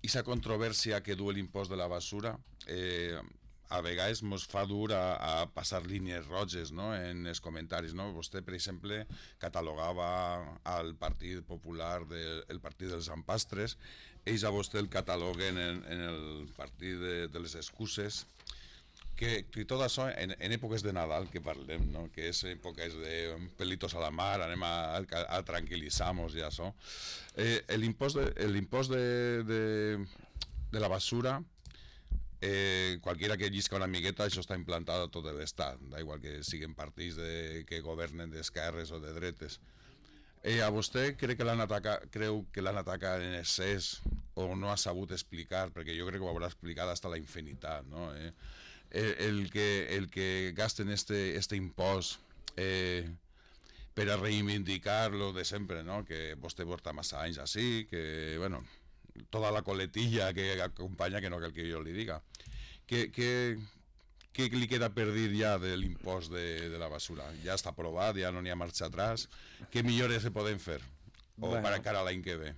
aquesta controvèrsia que du l'impost de la basura eh, a vegades ens fa dur a, a passar línies roges, no? En els comentaris, no? Vostè, per exemple, catalogava al Partit Popular del el Partit dels Empastres, ells a vostè el cataloguen en, en el Partit de, de les Excuses, que, que tot això en, en èpoques de Nadal que parlem, no? Que és èpoques de pelitos a la mar, anem a, a, a tranquil·litzar-nos i això. Eh, l'impost de, l'impost de, de, de la basura, Eh, qualquiera que llisca una miqueta, això està implantat a tot l'estat, da igual que siguin partits de, que governen d'esquerres o de dretes. Eh, a vostè creu que l'han atacat, creu que l'han atacat en excés o no ha sabut explicar, perquè jo crec que ho haurà explicat fins a la infinitat, no? Eh? El, el, que, el que gasten este, este impost eh, per a reivindicar lo de sempre, no? Que vostè porta massa anys així, que, bueno, tota la coletilla que acompanya, que no cal que jo li diga. Què, què, què li queda per dir ja de l'impost de, de la basura? Ja està aprovat, ja no n'hi ha marxa atrás. Què millores se poden fer? O bueno, per encara l'any que ve?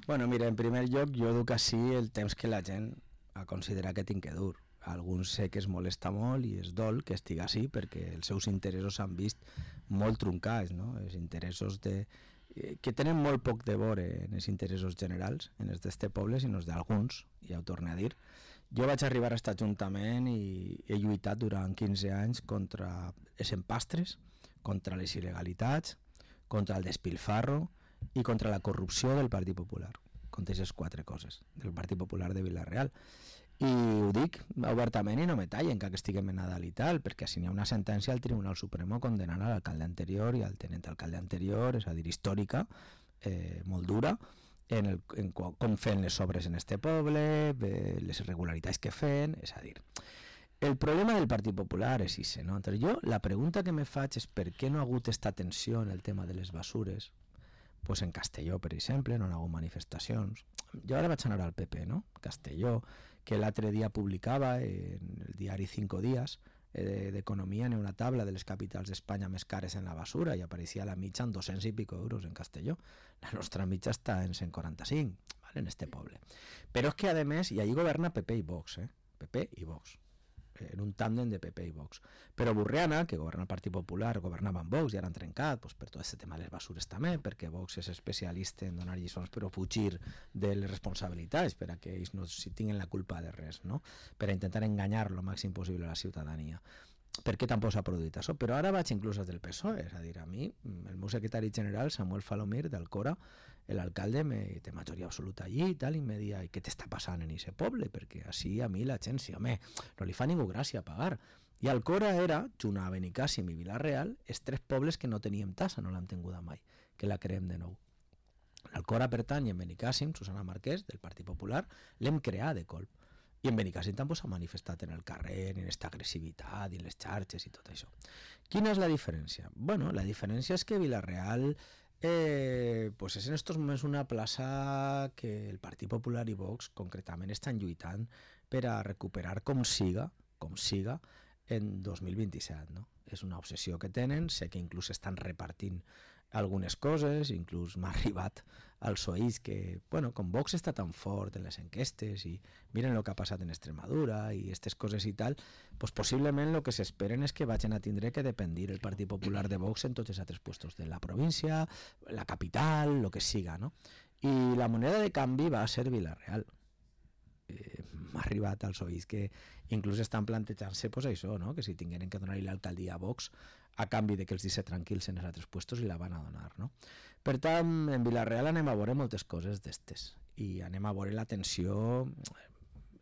Bueno, mira, en primer lloc, jo duc així el temps que la gent a considerar que tinc que dur. Alguns sé que es molesta molt i es dol que estigui així perquè els seus interessos s'han vist molt truncats, no? Els interessos de... que tenen molt poc de veure en els interessos generals, en els d'este poble, sinó els d'alguns, ja ho torno a dir. Jo vaig arribar a aquest ajuntament i he lluitat durant quinze anys contra els empastres, contra les il·legalitats, contra el despilfarro i contra la corrupció del Partit Popular, contra aquestes quatre coses, del Partit Popular de Vila-real. I ho dic obertament i no me tallen que estiguem en Nadal i tal, perquè si n'hi ha una sentència al Tribunal Supremo condenant a l'alcalde anterior i al tenent alcalde anterior, és a dir, històrica, eh, molt dura, en, el, en com fent les obres en este poble, eh, les irregularitats quefen, és a dir, el problema del Partit Popular és ixe, no? Entonces jo, la pregunta que me faig és per què no ha hagut esta tensió en el tema de les basures, pues en Castelló, per exemple, no hi ha hagut manifestacions. Jo ara vaig anar al P P, no? Castelló, que l'altre dia publicava en el diari Cinco Días eh, d'Economia, en una tabla de les capitals d'Espanya més cares en la basura i apareixia la mitja en dos-cents i pico euros en Castelló. La nostra mitja està en cent quaranta-cinc, ¿vale? En este poble. Però és que, a més, i allí governa P P i Vox, eh? P P i Vox, en un tàndem de P P i Vox. Però Burriana, que governa el Partit Popular, governava amb Vox i ara han trencat, pues, per tot aquest tema de les basures també, perquè Vox és especialista en donar lliçons però fugir de les responsabilitats per a que ells no si tinguin la culpa de res, no? Per a intentar enganyar el màxim possible a la ciutadania. Per què tampoc s'ha produït això? Però ara vaig inclús des del P S O E, és a dir, a mi, el meu secretari general, Samuel Falomir, d'Alcora, l'alcalde me, té majoria absoluta allí i tal, i me dia, i què t'està passant en aquest poble? Perquè així a mi la gent, sí, home, no li fa ningú gràcia pagar. I Alcora era, junt a Benicàssim i Vila-real, els tres pobles que no teníem tassa, no l'hem tinguda mai, que la creem de nou. L'Alcora pertany i en Benicàssim, Susana Marquès, del Partit Popular, l'hem creat de colp. I en Benicàssim tampoc s'ha manifestat en el carrer, en aquesta agressivitat, i en les xarxes i tot això. Quina és la diferència? Bueno, la diferència és que Vila-real eh, pues és en estos moments una plaça que el Partit Popular i Vox concretament estan lluitant per a recuperar com siga, com siga, en dos mil vint-i-set, no? És una obsessió que tenen, sé que inclús estan repartint algunes coses, inclús m'ha arribat als oïts que, bueno, com Vox està tan fort en les enquestes i miren el que ha passat en Extremadura i aquestes coses i tal, pues possiblement el que s'esperen és que vagin a tindre que dependir el Partit Popular de Vox en tots els altres puestos de la província, la capital, el que siga, no? I la moneda de canvi va a ser Vila-real. Eh, m'ha arribat als oïts que inclús estan plantejant-se pues, això, no? Que si tingueren que donar-li l'alcaldia a Vox a canvi de que els deixi tranquils en els altres puestos i la van a donar, no? Per tant, en Vila-real anem a veure moltes coses d'estes i anem a veure la tensió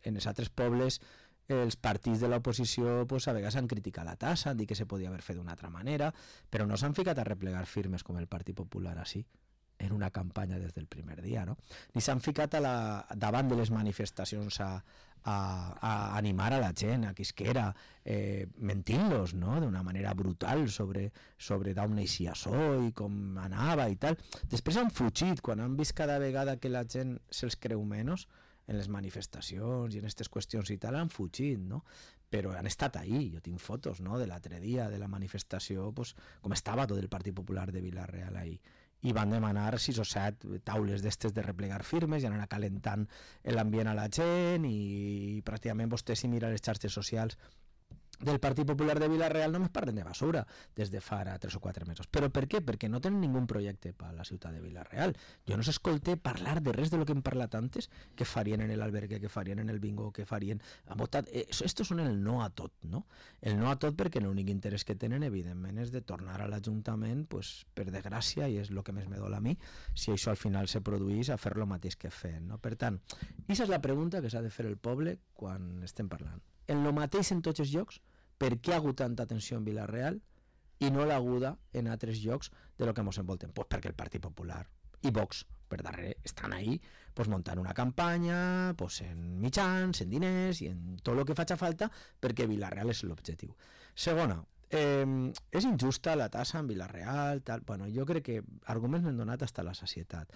en els altres pobles. Els partits de l'oposició pues, a vegades han criticat la tassa, han dit que se podia haver fet d'una altra manera, però no s'han ficat a replegar firmes com el Partit Popular així, en una campanya des del primer dia, no? Ni s'han ficat a la, davant de les manifestacions a, a, a animar a la gent, a qui es quera, eh, mentint-los, no? D'una manera brutal sobre, sobre d'on neixia això i com anava i tal. Després han fugit, quan han vist cada vegada que la gent se'ls creu menys en les manifestacions i en aquestes qüestions i tal, han fugit, no? Però han estat ahí, jo tinc fotos, no?, de l'altre dia de la manifestació, pues, com estava tot el Partit Popular de Vila-real ahí. I van demanar sis o set taules d'estes de replegar firmes i anar calentant l'ambient a la gent i pràcticament vostè si mira les xarxes socials del Partit Popular de Vila-real només parlen de basura des de fa tres o quatre mesos. Però per què? Perquè no tenen ningú projecte per a la ciutat de Vila-real. Jo no s'escolté parlar de res de lo que hem parlat antes, que farien en l'albergue, que farien en el bingo, que farien... Estos són el no a tot, no? El no a tot perquè l'únic interès que tenen, evidentment, és de tornar a l'Ajuntament, pues, per desgràcia, i és el que més me dol a mi, si això al final se produís, a fer lo mateix que fem, no? Per tant, aquesta és la pregunta que s'ha de fer el poble quan estem parlant. En lo mateix en tots els llocs, per què ha hagut tanta tensió en Vila-real i no l'ha haguda en altres llocs de lo que ens envolten? Pues perquè el Partit Popular i Vox per darrere estan ahí pues, muntant una campanya pues, en mitjans, en diners i en tot el que faci falta perquè Vila-real és l'objectiu. Segona, Eh, és injusta la tassa en Vila-real, tal. Bueno, jo crec que arguments n'hem donat fins a la sacietat.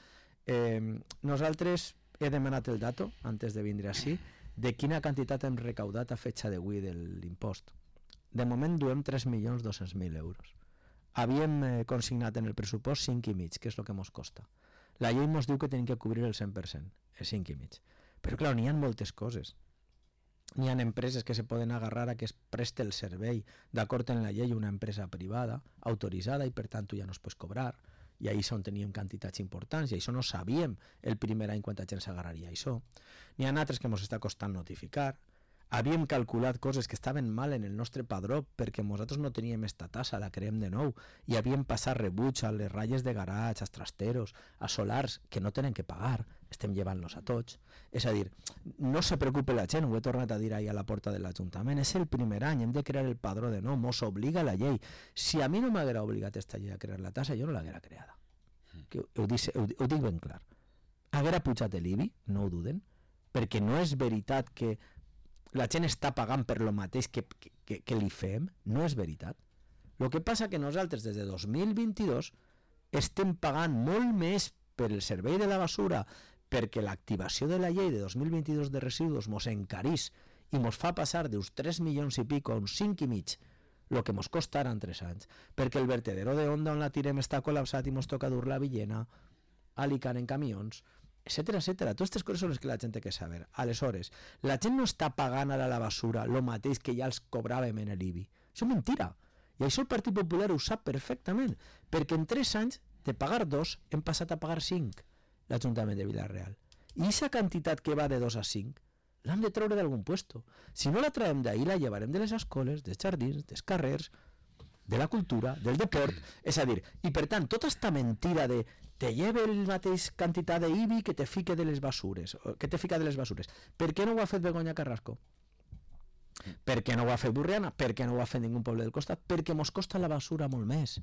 Eh, nosaltres he demanat el dato, antes de vindre així, de quina quantitat hem recaudat a fetxa d'avui de l'impost. De moment duem tres milions dos-cents mil euros. Havíem eh, consignat en el pressupost cinc i mig, que és el que ens costa. La llei ens diu que tenim que cobrir el cent per cent, el cinc i mig. Però clar, n'hi ha moltes coses. N'hi ha empreses que se poden agarrar a que es preste el servei d'acord amb la llei una empresa privada, autoritzada, i per tant tu ja no es pots cobrar, i ahir on teníem quantitats importants, i això no sabíem el primer any quanta gent s'agarraria a això. N'hi ha altres que ens està costant notificar. Havíem calculat coses que estaven mal en el nostre padró perquè nosaltres no teníem esta tassa, la creem de nou, i havíem passat rebuig a les ratlles de garatge, als trasteros, a solars que no tenen que pagar, estem llevant-los a tots. És a dir, no se preocupe la gent, ho he tornat a dir ahir a la porta de l'Ajuntament, és el primer any, hem de crear el padró de nou, mos obliga la llei. Si a mi no m'haguera obligat esta llei a crear la tassa, jo no l'haguera creada. Que ho, ho, dic, ho, ho dic ben clar. Haguera pujat l'I B I, no ho duden, perquè no és veritat que la gent està pagant per lo mateix que, que, que li fem, no és veritat. El que passa que nosaltres des de dos mil vint-i-dos estem pagant molt més per el servei de la basura perquè l'activació de la llei de dos mil vint-i-dos de residus mos encarís i mos fa passar d'uns tres milions i pico a uns cinc i mig, el que mos costarà en tres anys, perquè el vertedero de Onda on la tirem està col·lapsat i mos toca dur la Villena, a Alicant en camions, etcètera, etcètera. Totes aquestes coses són les que la gent té que saber. Aleshores, la gent no està pagant ara la basura el mateix que ja els cobràvem en l'I B I. Això és mentira. I això el Partit Popular ho sap perfectament, perquè en tres anys, de pagar dos, hem passat a pagar cinc, l'Ajuntament de Vila-real. I aquesta quantitat que va de dos a cinc, l'hem de treure d'algun puesto. Si no la traiem d'ahir, la llevarem de les escoles, dels jardins, dels carrers, de la cultura, del deport, és a dir, i per tant, tota esta mentira de te lleve el mateix quantitat d'I B I que te fique de les basures, que te fica de les basures. Per què no ho ha fet Begoña Carrasco? Per què no ho ha fet Burriana? Per què no ho ha fet ningú poble del costat? Perquè mos costa la basura molt més.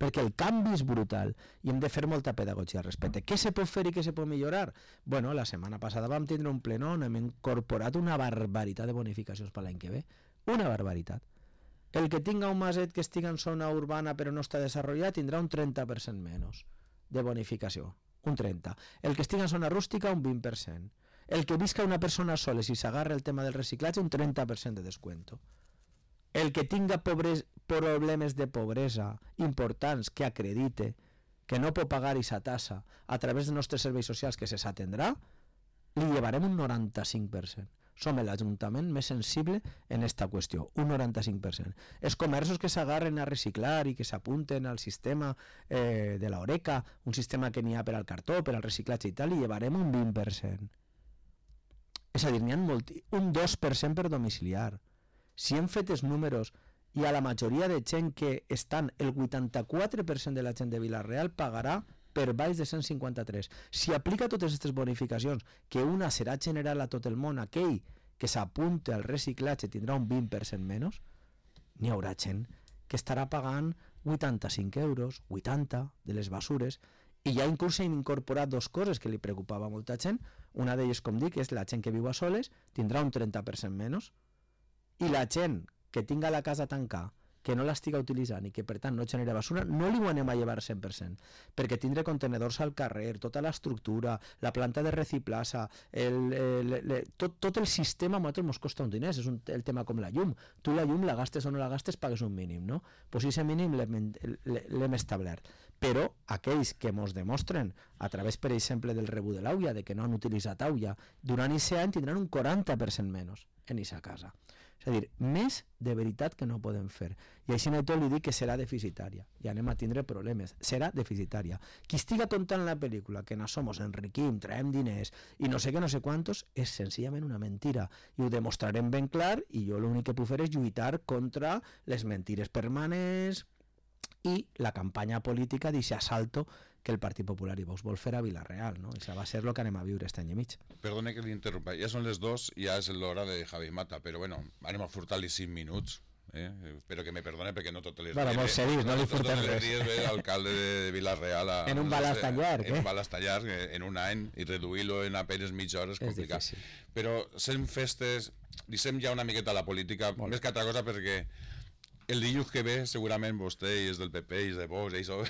Perquè el canvi és brutal i hem de fer molta pedagogia al respecte. Què se pot fer i què se pot millorar? Bueno, la setmana passada vam tindre un plenó on hem incorporat una barbaritat de bonificacions per l'any que ve. Una barbaritat. El que tinga un maset que estigui en zona urbana però no està desenvolupat tindrà un trenta per cent menys de bonificació, un trenta. El que estigui en zona rústica, un vint per cent. El que visca una persona sola, si s'agarra el tema del reciclatge, un trenta per cent de descuento. El que tinga pobres, problemes de pobresa importants que acredite que no pot pagar aquesta tassa a través dels nostres serveis socials que se s'atendrà, li llevarem un noranta-cinc per cent. Som l'Ajuntament més sensible en aquesta qüestió, un noranta-cinc per cent. Els comerços que s'agarren a reciclar i que s'apunten al sistema eh, de l'Oreca, un sistema que n'hi ha per al cartó, per al reciclatge i tal, li llevarem un vint per cent. És a dir, n'hi ha molt, un dos per cent per domiciliar. Si hem fet els números i a la majoria de gent que estan, el vuitanta-quatre per cent de la gent de Vila-real pagarà per baix de cent cinquanta-tres. Si aplica totes aquestes bonificacions, que una serà general a tot el món, aquell que s'apunte al reciclatge tindrà un vint per cent menys, n'hi haurà gent que estarà pagant vuitanta-cinc euros, vuitanta de les basures, i ja inclús hem incorporat dues coses que li preocupava a molta gent. Una d'elles, com dic, és la gent que viu a soles, tindrà un trenta per cent menys, i la gent que tinga la casa tancada, que no l'estiga utilitzant i que per tant no genera basura, no li ho anem a llevar cent per cent, perquè tindre contenedors al carrer, tota l'estructura, la planta de reciclatge, el, el, el, tot, tot el sistema a nosaltres ens costa un diners, és un, el tema com la llum. Tu la llum la gastes o no la gastes pagues un mínim, no? Pues aquest mínim l'hem establert. Però aquells que ens demostren, a través, per exemple, del rebut de l'auia, de que no han utilitzat auia, durant aquest any tindran un quaranta per cent menys en aquesta casa. És a dir, més de veritat que no podem fer. I així no tot li dic que serà deficitària. I anem a tindre problemes. Serà deficitària. Qui estiga contant la pel·lícula que no somos enriquim, traiem diners i no sé què, no sé quantos, és senzillament una mentira. I ho demostrarem ben clar i jo l'únic que puc fer és lluitar contra les mentires permanents i la campanya política d'aquest assalto que el Partit Popular i Vox vol fer a Vila-real, no? Això va ser el que anem a viure aquest any i mig. Perdone que l'interrompa, ja són les dos, ja és l'hora de Javi Mata, però bueno, anem a furtar-li cinc minuts, eh? Però que me perdone perquè no totes les bueno, dies... Bueno, molt seriós, no li furtem res. No totes les dies ve l'alcalde de Vila-real a... En un balast tan llarg, eh? En un balast tan llarg, en un any, i reduir-lo en apenes mitja hora és complicat. És difícil. Però sent festes, deixem ja una miqueta la política, molt més que altra cosa perquè el dilluns que ve segurament vostè i és del P P i és de Vox i això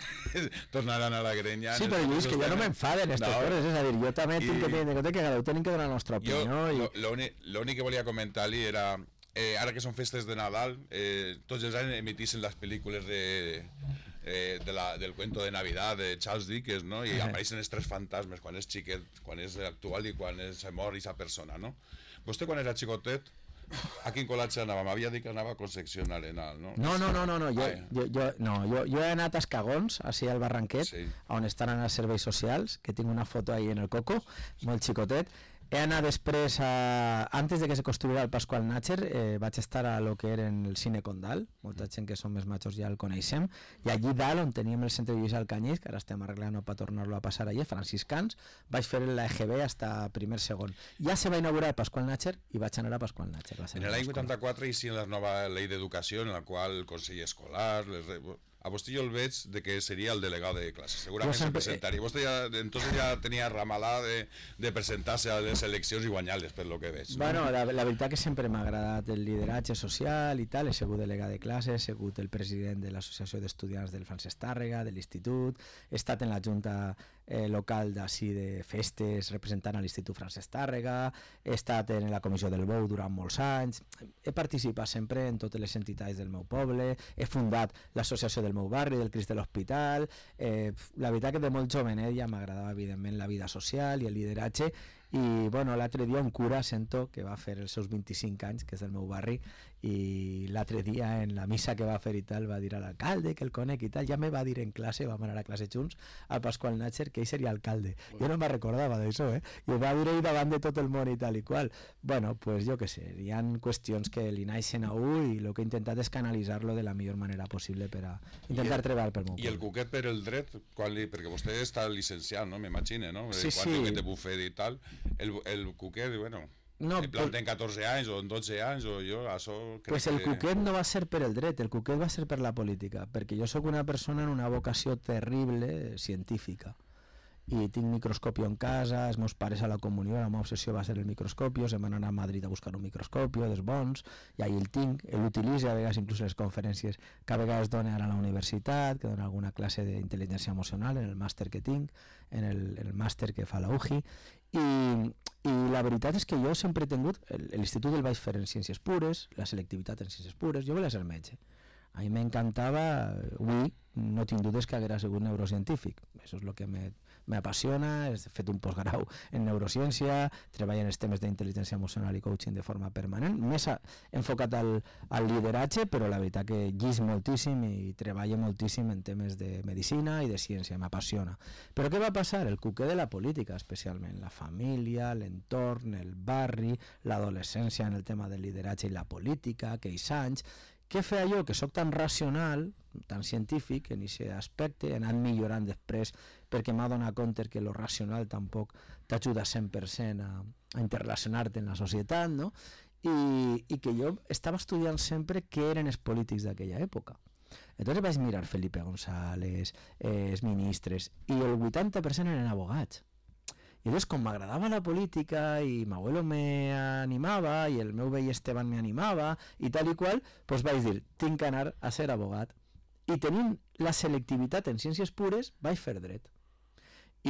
tornaran a la grenya. Sí, però Lluís, que jo no m'enfaden aquestes no. coses, és a dir, jo també I... tinc que tenir en compte que cada un tenim que donar la nostra opinió. Jo, i... l'únic que volia comentar-li era, eh, ara que són festes de Nadal, eh, tots els anys emitissin les pel·lícules de... Eh, de la, del cuento de Navidad de Charles Dickens, no? I apareixen els tres fantasmes, quan és xiquet, quan és actual i quan és mort aquesta persona, no? Vostè quan era xicotet, a quin col·latge anava? M'havia dit que anava a Concepción Arenal, no? No, no, no, no, no. Jo, jo, jo, no, jo, jo he anat a Escagons, així al Barranquet, sí. On estan els serveis socials, que tinc una foto ahí en el coco, molt xicotet. He anat després, a, antes de que se construïra el Pasqual Natxer, eh, vaig estar a lo que era el Cine Condal, molta gent que som més majors ja el coneixem, i allí dalt, on teníem el centre de Lluís Alcanyís, que ara estem arreglant per tornar-lo a passar allà, franciscans, vaig fer l'E G B fins a primer segon. Ja se va inaugurar el Pasqual Natxer i vaig anar a Pasqual Natxer. En l'any vuitanta-quatre hi la nova llei d'educació, en la qual el Consell Escolar... Les... A vostè jo el veig de que seria el delegat de classe, segurament sempre... se presentaria. Vostè ja, entonces ja tenia ramalà de, de presentar-se a les eleccions i guanyar-les, per lo que veig. No? Bueno, la, la veritat que sempre m'ha agradat el lideratge social i tal, he sigut delegat de classe, he sigut el president de l'Associació d'Estudiants del Francesc Tàrrega, de l'Institut, he estat en la Junta eh, local d'ací de festes representant a l'Institut Francesc Tàrrega, he estat en la Comissió del Bou durant molts anys, he participat sempre en totes les entitats del meu poble, he fundat l'Associació del meu barri, del Crist de l'Hospital, eh, la veritat que de molt jovenet ja m'agradava evidentment la vida social i el lideratge, i bueno, l'altre dia un cura sento que va fer els seus vint-i-cinc anys, que és del meu barri, i l'altre dia en la missa que va fer i tal va dir a l'alcalde que el conec i tal, ja me va dir en classe, vam anar a classe junts al Pasqual Natxer que ell seria alcalde, jo no me'n recordava d'això, eh? I ho va dir ell davant de tot el món i tal i qual. Bueno, pues jo què sé, hi ha qüestions que li naixen a un i el que he intentat és canalitzar-lo de la millor manera possible per a intentar el, treballar pel meu poble. I el cuquet per el dret, quan li, perquè vostè està licenciat, no? M'imagine, no? Sí, quan sí. de bufet i tal, el, el cuquet, bueno... No, en plan, ten catorze anys o en dotze anys o jo, això... Pues el que... cuquet no va ser per el dret, el cuquet va ser per la política, perquè jo sóc una persona en una vocació terrible científica i tinc microscòpio en casa, els meus pares a la comunió, la meva obsessió va ser el microscòpio, se'n van anar a Madrid a buscar un microscòpio dels bons, i ahí el tinc, l'utilitzo a vegades inclús les conferències que a vegades dono ara a la universitat, que dono alguna classe d'intel·ligència emocional en el màster que tinc, en el, el màster que fa la U J I, i, i la veritat és que jo sempre he tingut, l'institut el vaig fer en ciències pures, la selectivitat en ciències pures, jo volia ser metge. A mi m'encantava, avui no tinc dubtes que haguera sigut neurocientífic, això és el que m'apassiona, he fet un postgrau en neurociència, treballo en els temes d'intel·ligència emocional i coaching de forma permanent, més a, enfocat al, al lideratge, però la veritat que llis moltíssim i treballo moltíssim en temes de medicina i de ciència, m'apassiona. Però què va passar? El cuquer de la política, especialment, la família, l'entorn, el barri, l'adolescència en el tema del lideratge i la política, aquells anys. Què feia jo? Que sóc tan racional, tan científic, en aquest aspecte, he anat millorant després perquè m'ha donat compte que lo racional tampoc t'ajuda cent per cent a, a interrelacionar-te en la societat, no? I, i que jo estava estudiant sempre què eren els polítics d'aquella època. Entonces vaig mirar Felipe González, eh, els ministres, i el vuitanta per cent eren abogats. I llavors, com m'agradava la política i m'abuelo me animava i el meu vell Esteban me animava i tal i qual, doncs vaig dir, tinc que anar a ser abogat. I tenint la selectivitat en ciències pures, vaig fer dret.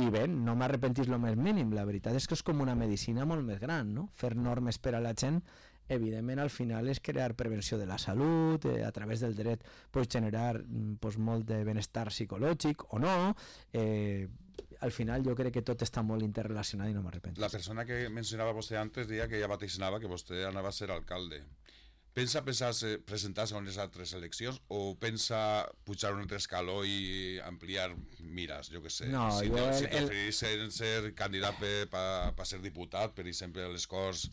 I bé, no m'arrepentís el més mínim, la veritat és que és com una medicina molt més gran, no? Fer normes per a la gent, evidentment al final és crear prevenció de la salut, eh, a través del dret pots generar pues, molt de benestar psicològic o no, eh, al final jo crec que tot està molt interrelacionat i no m'arrepento. La persona que mencionava vostè antes deia que ella vaticinava que vostè anava a ser alcalde. Pensa presentar-se a unes altres eleccions o pensa pujar un altre escaló i ampliar mires, jo què sé? No, si jo... Si el, preferís ser, ser candidat per pa, pa ser diputat, per exemple, a les Corts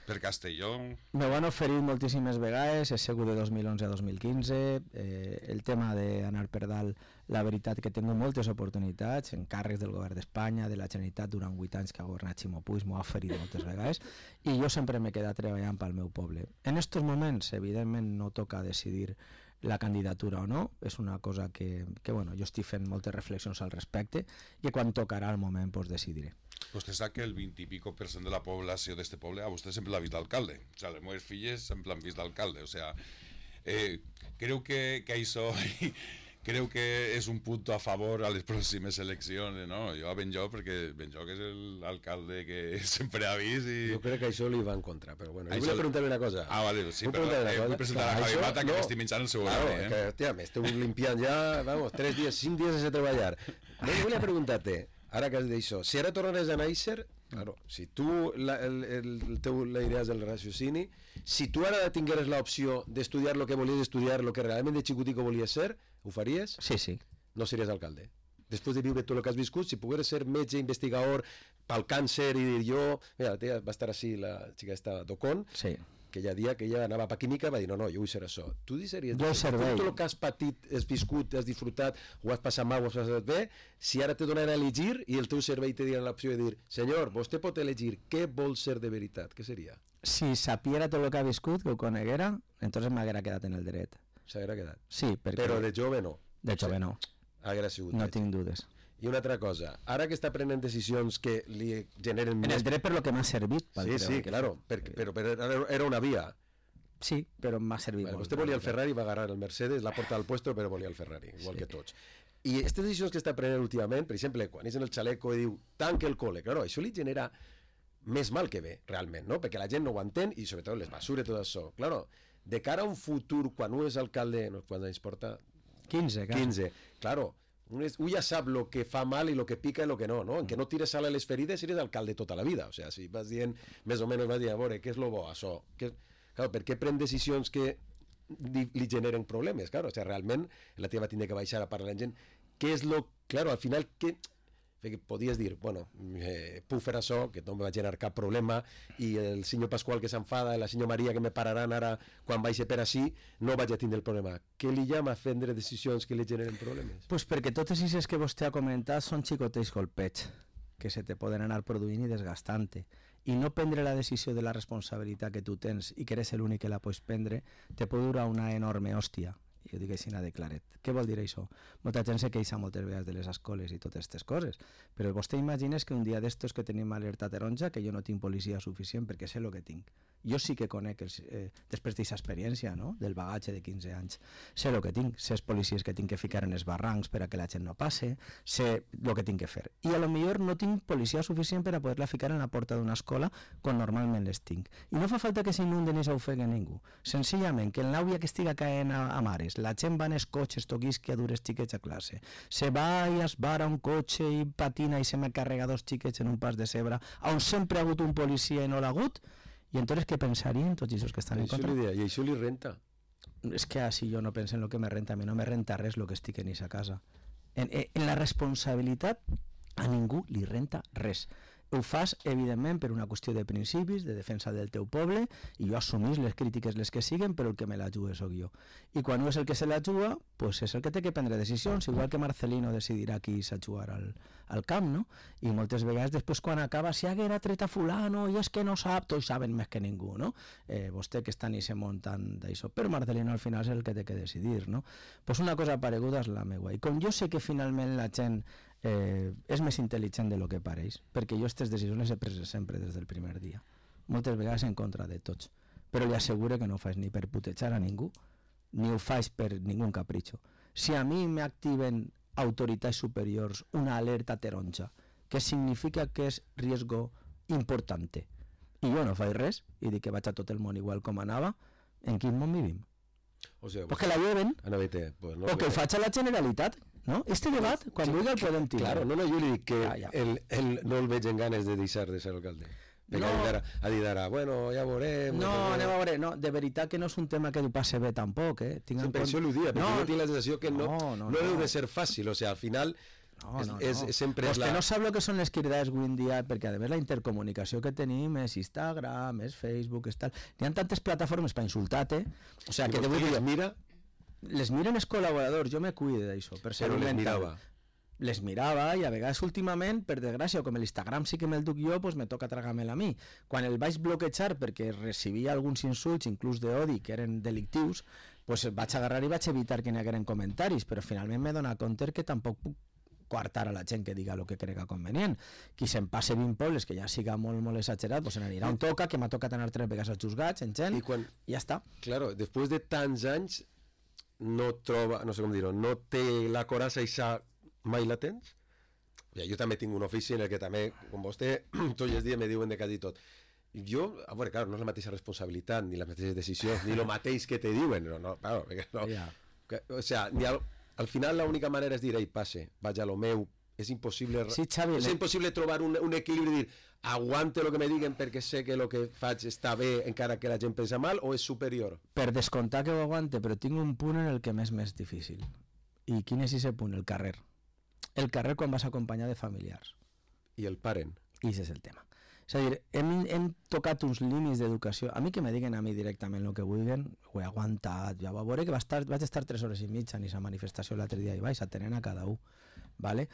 per Castelló... Me van oferir moltíssimes vegades, he sigut de dos mil onze a dos mil quinze, eh, el tema d'anar per dalt, la veritat que tinc moltes oportunitats, en càrrecs del govern d'Espanya, de la Generalitat, durant vuit anys que ha governat Ximo Puig, m'ho ha oferit moltes vegades, i jo sempre m'he quedat treballant pel meu poble. En aquests moments, evidentment, no toca decidir la candidatura o no, és una cosa que, que bueno, jo estic fent moltes reflexions al respecte i quan tocarà el moment pues, decidiré. Vostè sap que el vint i pico per cent de la població d'este poble a vostè sempre l'ha vist d'alcalde. O sigui, les meves filles sempre l'han vist d'alcalde. O sigui, Eh, creo que, que això creo que és un punt a favor a les pròximes eleccions, no? Jo a Benlloc, perquè Benlloc és l'alcalde que sempre ha vist i... Jo crec que això li va en contra, però bueno, això... jo vull preguntar-li una cosa. Ah, vale, sí, vull però eh, vull presentar a Javi Mata que no. m'estic menjant el seu claro, horari, eh? Que, hòstia, m'esteu limpiant ja, vamos, tres dies, cinc dies sense treballar. No, jo volia preguntar-te, ara que has dit això, si ara tornares a néixer, claro, si tu la, el, el teu la idees del raciocini, si tu ara tingueres l'opció d'estudiar el que volies estudiar, el que realment de xicutico volies ser, ho faries? Sí, sí. No series alcalde. Després de viure tot el que has viscut, si pogueres ser metge, investigador, pel càncer i dir jo... Mira, la tia va estar així, la xica esta d'Ocon, sí. que ella dia que ella anava per química va dir no, no, jo vull ser això. Tu deixaries... Jo servei. Tot el que has patit, has viscut, has disfrutat, ho has passat mal, ho has passat bé, si ara te donen a elegir i el teu cervell te diran l'opció de dir senyor, vostè pot elegir què vol ser de veritat, què seria? Si sapiera tot el que ha viscut, que ho coneguera, entonces m'haguera quedat en el dret. S'haguera quedat? Sí, perquè... Però de jove no? De jove no. Haguera sigut no metge. Tinc dudes. I una altra cosa, ara que està prenent decisions que li generen... En més... el dret per lo que m'ha servit. Sí, sí, claro, perquè, però, però era una via. Sí, però m'ha servit vale, molt. Vostè volia el Ferrari, va agarrar el Mercedes, l'ha portat al puesto, però volia el Ferrari, igual sí. que tots. I aquestes decisions que està prenent últimament, per exemple, quan és en el xaleco i diu tanca el col·le, claro, això li genera més mal que bé, realment, no? Perquè la gent no ho entén i sobretot les basures, tot això. Claro, de cara a un futur, quan un és alcalde, no, quants anys porta? quinze, clar. quinze, claro. Un, és, un ja sap el que fa mal i el que pica i el que no, no? En que no tires sal a les ferides eres alcalde tota la vida. O sea, si vas dient, més o menys vas dient, a veure, què és lo bo, això? Què... Claro, per què pren decisions que li, li generen problemes? Claro, o sea, realment la teva va tindre que baixar a parlar amb gent. Què és lo... Claro, al final, què... Perquè podies dir, bueno, eh, puc fer això, que no em va generar cap problema, i el senyor Pasqual que s'enfada, i la senyora Maria que me pararan ara quan vagi per així, no vaig a tindre el problema. Què li llama a prendre decisions que li generen problemes? Pues perquè totes aquestes que vostè ha comentat són xicotells golpets, que se te poden anar produint i desgastant-te. I no prendre la decisió de la responsabilitat que tu tens i que eres l'únic que la pots prendre, te pot durar una enorme hòstia. Jo dic així de claret. Què vol dir això? Molta gent se queixa moltes vegades de les escoles i totes aquestes coses, però vostè imagines que un dia d'estos que tenim alerta taronja, que jo no tinc policia suficient perquè sé el que tinc. Jo sí que conec, els, eh, després d'aquesta experiència, no? Del bagatge de quinze anys, sé el que tinc, sé els policies que tinc que ficar en els barrancs per a que la gent no passe, sé el que tinc que fer. I a lo millor no tinc policia suficient per a poder-la ficar en la porta d'una escola quan normalment les tinc. I no fa falta que s'inunden i s'ofeguen ningú. Senzillament, que en l'àvia que estiga caent a, a mares, la gent va en els cotxes, toquisqui a dures xiquets a classe, se va i es vara un cotxe i patina i se me carrega dos xiquets en un pas de zebra, on sempre ha hagut un policia i no l'ha hagut. I entonces què pensarien tots aquests que estan en contra? I això li renta. És que si jo no penso en el que me renta, a mi no me renta res el que estic en aquesta casa. En, en la responsabilitat a ningú li renta res. Ho fas, evidentment, per una qüestió de principis, de defensa del teu poble, i jo assumís les crítiques les que siguen, però el que me la juga sóc jo. I quan no és el que se la juga, pues és el que té que prendre decisions, igual que Marcelino decidirà qui s'ha jugar al, al camp, no? I moltes vegades després quan acaba, si haguera tret a fulano, i és que no sap, tots saben més que ningú, no? Eh, vostè que està ni se muntant d'això, però Marcelino al final és el que té que decidir, no? Pues una cosa pareguda és la meua. I com jo sé que finalment la gent Eh, és més intel·ligent de lo que pareix, perquè jo aquestes decisions les he pres sempre des del primer dia, moltes vegades en contra de tots, però li asseguro que no ho faig ni per putejar a ningú ni ho faig per ningú capritxo. Si a mi m'activen autoritats superiors una alerta taronja que significa que és riesgo importante i jo no faig res i dic que vaig a tot el món igual com anava, en quin món vivim? O sigui, pues que la lleven pues no, o que el faig a la Generalitat. No? Este debat, quan sí, vulgui el podem tirar. Claro, no, no, jo li dic que ja, ja. El, el, no el veig en ganes de deixar de ser alcalde. Perquè no. ha dit ara, bueno, ja veurem... No, no, anem a veure, no, de veritat que no és un tema que ho passe bé tampoc, eh? Tinc sí, per això l'ho dia, perquè no, jo tinc la sensació que no, no, no, no, no deu de ser fàcil, o sigui, al final... No, és, no, és, no. sempre Vostè és la... no sap el que són les cridades avui en dia, perquè a més la intercomunicació que tenim és Instagram, és Facebook, és tal... N'hi ha tantes plataformes per insultar-te, o sigui, que te vull dir... mira... Les miren els col·laboradors, jo me cuide d'això, per ser però les mental. mirava. Les mirava i a vegades últimament, per desgràcia, com l'Instagram sí que me'l duc jo, pues me toca tragar-me'l a mi. Quan el vaig bloquejar perquè recibia alguns insults, inclús d'odi, que eren delictius, pues vaig agarrar i vaig evitar que n'hi hagueren comentaris, però finalment m'he donat compte que tampoc puc coartar a la gent que diga el que crega convenient. Qui se'n passe vint pobles, que ja siga molt, molt exagerat, pues se n'anirà on toca, que m'ha tocat anar tres vegades als juzgats, en gent, I, quan, i ja està. Claro, després de tants anys no troba, no sé com dir-ho, no té la coratge i sa mai la tens? Ja, jo també tinc un ofici en el que també, com vostè, tots els dies me diuen de quasi tot. Jo, a veure, clar, no és la mateixa responsabilitat, ni les mateixes decisions, ni el mateix que te diuen, no, no, claro, no. Yeah. Que, o sea, ni al, al final l'única manera és dir, ei, passe, vaig a lo meu, és impossible, Sí, Xavi, és le- impossible trobar un, un equilibri i dir, aguante lo que me diguen perquè sé que lo que faig està bé encara que la gent pensa mal, o és superior? Per descomptar que ho aguante, però tinc un punt en el que m'és més difícil. I quin és aquest punt? El carrer. El carrer quan vas acompanyar de familiars. I el paren. I aquest és el tema. És a dir, hem, hem tocat uns límits d'educació. A mi que me diguen a mi directament el que vulguen, ho he aguantat. Ja va veure que va estar, vaig estar tres hores i mitja en aquesta manifestació l'altre dia i vaig atenent a cada un. ¿Vale?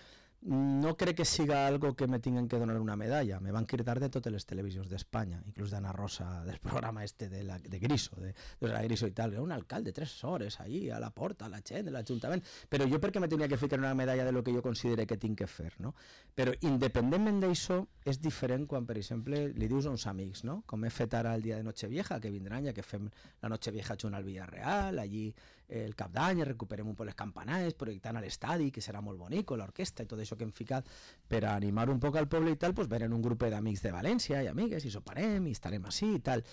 No crec que siga algo que me tinguen que donar una medalla. Me van cridar de totes les televisions d'Espanya, inclús d'Anna Rosa, del programa este de, la, de Griso, de, de la Griso i tal. Era un alcalde tres hores ahí a la porta, a la gent de l'Ajuntament. Però jo perquè me tenia que ficar una medalla de lo que jo considere que tinc que fer, no? Però independentment d'això, és diferent quan, per exemple, li dius a uns amics, no? Com he fet ara el dia de Nochevieja, que vindran ja que fem la Nochevieja junt al Villarreal, allí el cap d'any, recuperem un poc les campanades, projectant a l'estadi, que serà molt bonic, l'orquestra i tot això que hem ficat per a animar un poc al poble i tal, pues venen un grup d'amics de València i amigues i soparem i estarem així i tal.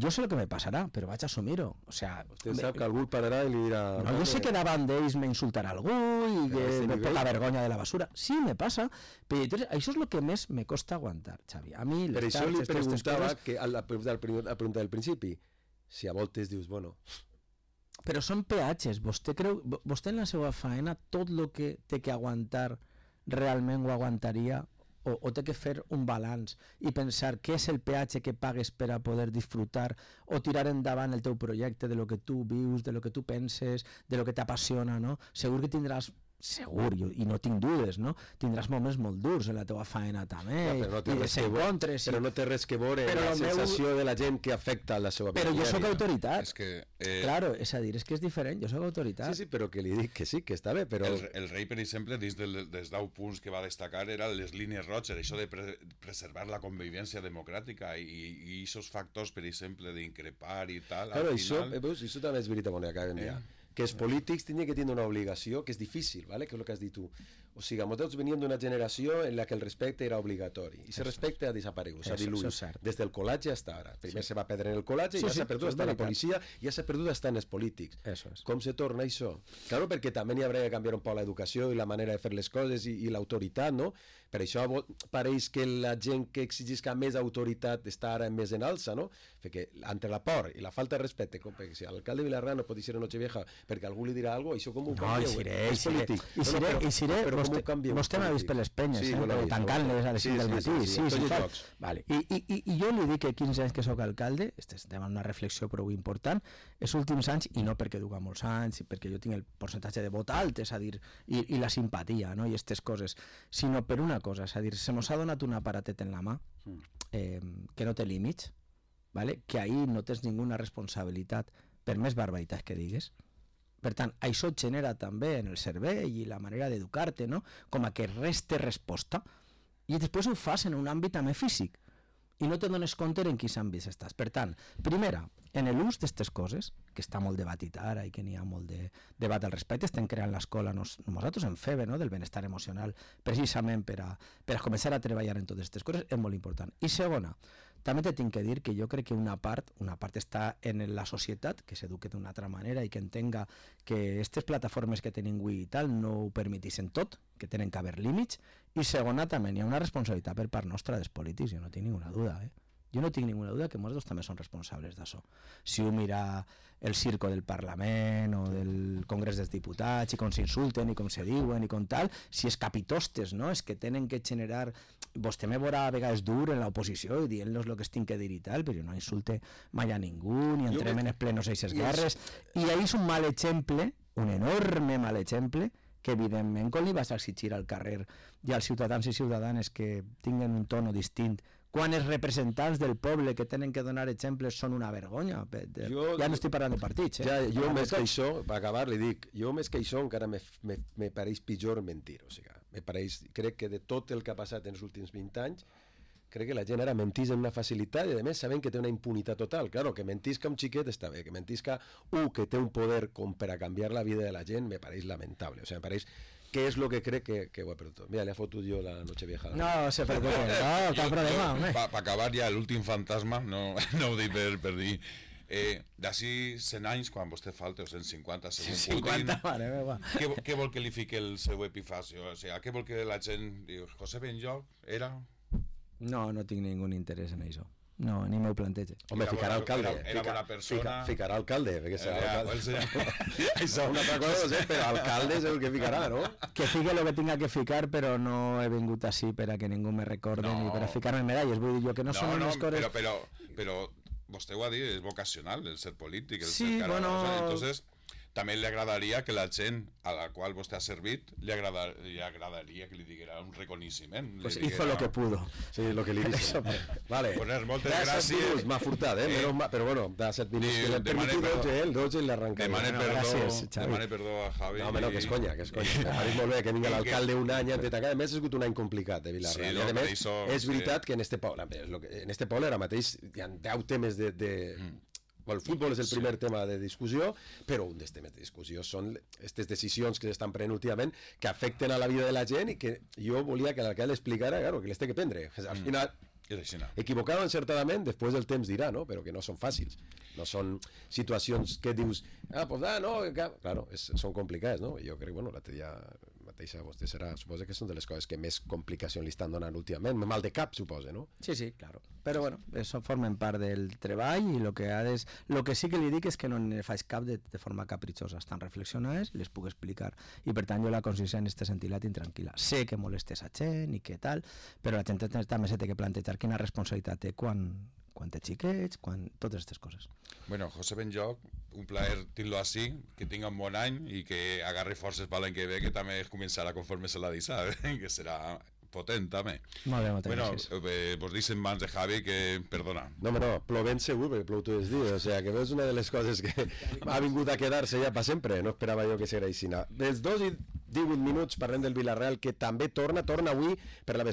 Jo sé el que me passarà, però vaig assumir-ho. O sea, Vostè sap que algú pararà i li dirà... no, jo sé que davant d'ells m'insultarà algú i que me pot la vergonya de la basura. Sí, me passa, però entonces, això és el que més me costa aguantar, Xavi. A mi, Per les això li xarxes, totes aquestes preguntava coses, que a la, a la pregunta del principi, si a voltes dius, bueno, però són peatges. Vostè creu, vo- vostè en la seva faena tot el que té que aguantar realment ho aguantaria o, o té que fer un balanç i pensar què és el peatge que pagues per a poder disfrutar o tirar endavant el teu projecte de lo que tu vius, de lo que tu penses, de lo que t'apassiona, no? Segur que tindràs segur, jo, i no tinc dudes, no? Tindràs moments molt durs en la teva faena també, ja, però, no té i res que veure, desencontres, però i... no té res que veure Però la el meu- sensació de la gent que afecta la seva però jo sóc diària. autoritat. És que eh, Claro, és a dir, és que és diferent, jo sóc autoritat. Sí, sí, però que li dic que sí, que està bé, però... el, el rei, per exemple, dins del, dels deu punts que va destacar era les línies roges, això de pre preservar la convivència democràtica i, i aquests factors, per exemple, d'increpar i tal, Claro, al això, final... eh, veus, això també és veritat, bueno, acabem Eh. ja. Que els polítics tenen que tenir una obligació, que és difícil, ¿vale? Que és el que has dit tu. O sigui, nosaltres veníem d'una generació en la que el respecte era obligatori, i el respecte ha desaparegut, s'ha Eso- diluït, eso és cert. des del col·legi hasta ara. Primer se va perdre en el col·legi, Sí, ja sí, s'ha perdut és hasta en la veritat. policia, ja s'ha perdut hasta en els polítics. Eso és. Com se torna això? Claro, perquè també n'hi haurà que canviar un poc l'educació i la manera de fer les coses i, i l'autoritat, no? Per això vo- pareix que la gent que exigisca més autoritat està ara més en alça, no? Perquè entre la por i la falta de respecte, com perquè si l'alcalde de Vilarrà no pot dir a Nochevieja perquè algú li dirà alguna cosa, això com ho No, canvieu? i seré, És i seré, polític. i seré, però, i seré, però com vostè, ho canvieu? vostè m'ha vist per les penyes, Sí, eh? jo l'he però vist, tancant-les a les sí, cinc del sí, matí, sí, sí, sí, sí, tots els fa- jocs. Vale. I, i, i, I jo li dic que quinze anys que sóc alcalde, estem en una reflexió prou important, els últims anys, i no perquè duga molts anys, i perquè jo tinc el percentatge de vot alt, és a dir, i, i la simpatia, no? I aquestes coses, sinó per una cosa, és a dir, se mos ha donat un aparatet en la mà eh, que no té límits, ¿vale? Que ahí no tens ninguna responsabilitat, per més barbaritats que digues. Per tant, això et genera també en el cervell i la manera d'educar-te, no? Com a que res té resposta, i després ho fas en un àmbit també físic, i no te dones compte en quins àmbits estàs. Per tant, primera, en l'ús d'aquestes coses, que està molt debatit ara i que n'hi ha molt de debat al respecte, estem creant l'escola nos, nosaltres en F E B E, no? Del benestar emocional, precisament per a, per a començar a treballar en totes aquestes coses, és molt important. I segona, també te tinc que dir que jo crec que una part, una part està en la societat, que s'eduque d'una altra manera i que entenga que aquestes plataformes que tenim avui i tal no ho permetixen tot, que tenen que haver límits, i segona, també hi ha una responsabilitat per part nostra dels polítics, jo no tinc ninguna duda, eh? Jo no tinc ninguna duda que nosaltres també som responsables d'això. Si ho mira el circo del Parlament o del Congrés dels Diputats i com s'insulten i com se diuen i com tal, si és capitostes, no? És que tenen que generar... Vostè me veurà a vegades dur en l'oposició i dient-los el que es tinc que dir i tal, però jo no insulte mai a ningú, ni entrem en els plenos eixes guerres. I ahí és un mal exemple, un enorme mal exemple, que evidentment quan li vas a exigir al carrer i als ciutadans i ciutadanes que tinguen un tono distint quan els representants del poble que tenen que donar exemples són una vergonya. Jo, ja no estic parlant de partits, eh? Ja, jo més que això, per acabar, li dic, jo més que això encara me, me, me pareix pitjor mentir, o sigui, me pareix, crec que de tot el que ha passat en els últims vint anys, crec que la gent ara mentís amb una facilitat i a més sabent que té una impunitat total. Claro, que mentisca un xiquet està bé, que mentisca un que té un poder com per a canviar la vida de la gent me pareix lamentable. O sigui, me pareix que és el que crec que, que ho he perdut. Mira, le ha fotut jo la noche vieja. No se preocupe, no, cap problema, home. Per acabar ja, l'últim fantasma, no, no ho dic per, per dir, eh, d'ací cent anys, quan vostè falta, o cent cinquanta, segons cinquanta, mare meva. Què, què vol que li fiqui el seu epifacio? O sigui, què vol que la gent diu? José Benlloch era... No, no tinc ningú interès en això. No, ni m'ho plantege. Home, ficarà alcalde. Era, era bona persona. Fica, ficarà alcalde, perquè serà Era, alcalde. el Això és una altra cosa, no sé, però alcalde és el que ficarà, no? Que fique lo que tinga que ficar, però no he vingut així per a que ningú me recorde No. ni per a ficar-me medalles. Vull dir jo que no, No, són no, unes coses... però, però, però vostè ho ha dit, és vocacional el ser polític, el Sí, ser cara, bueno. o sea, entonces també li agradaria que la gent a la qual vostè ha servit li, agrada, li agradaria que li diguera un reconeixement. Pues li hizo lo que pudo. Sí, lo que li dic. Vale. Poner moltes Da set gràcies. minuts, m'ha furtat, eh? Eh. Però, però bueno, da set minuts. Li- Que l'hem demane permitit perdó. dotze, eh? El dotze i l'arrencaré. Demane Bueno, perdó, gràcies, Xavi. demane perdó a Javi. No, home, no, que és conya, que és conya. M'ha dit molt bé que vingui I l'alcalde un any antes d'atacar. A més, ha sigut un any complicat de Vilarreal. Sí, I no, a per més, això, és veritat sí. que en este poble, és lo que, en este poble ara mateix hi ha deu temes de... de Mm. Bueno, el futbol és el primer tema de discussió, però un dels temes de discussió són aquestes decisions que s'estan prenent últimament que afecten a la vida de la gent i que jo volia que l'alcalde explicara, claro, que les té que prendre. Al final, És així, no? equivocado encertadament, després el temps dirà, no? Però que no són fàcils. No són situacions que dius, ah, pues ah, no, que... claro, és, són complicades, no? Jo crec, bueno, l'altre dia mateixa vostè serà, suposa que són de les coses que més complicació li estan donant últimament, mal de cap, suposa, no? Sí, sí, claro. Però bueno, això formen part del treball i lo que ha de... Lo que sí que li dic és que no ne faig cap de, de forma capritxosa. Estan reflexionades, les puc explicar. I per tant jo la consciència en este sentit la tinc tranquil·la. Sé que molestes a gent i què tal, però la gent també se té que plantejar quina responsabilitat té quan, quan té xiquets, quan... totes aquestes coses. Bueno, José Benlloch, un plaer tenir-lo així, que tinga un bon any i que agarri forces per l'any que ve, que també començarà conforme se la deixa, que serà potent també. Molt bé, moltes Bueno, gràcies. eh, vos dicen mans de Javi que, perdona, No, home, no, plovent segur, perquè plou tots els dies, o sigui, que és una de les coses que ha vingut a quedar-se ja per sempre, no esperava jo que serà així. Dels dos i divuit minuts parlem del Vilarreal, que també torna, torna avui per la vesprada.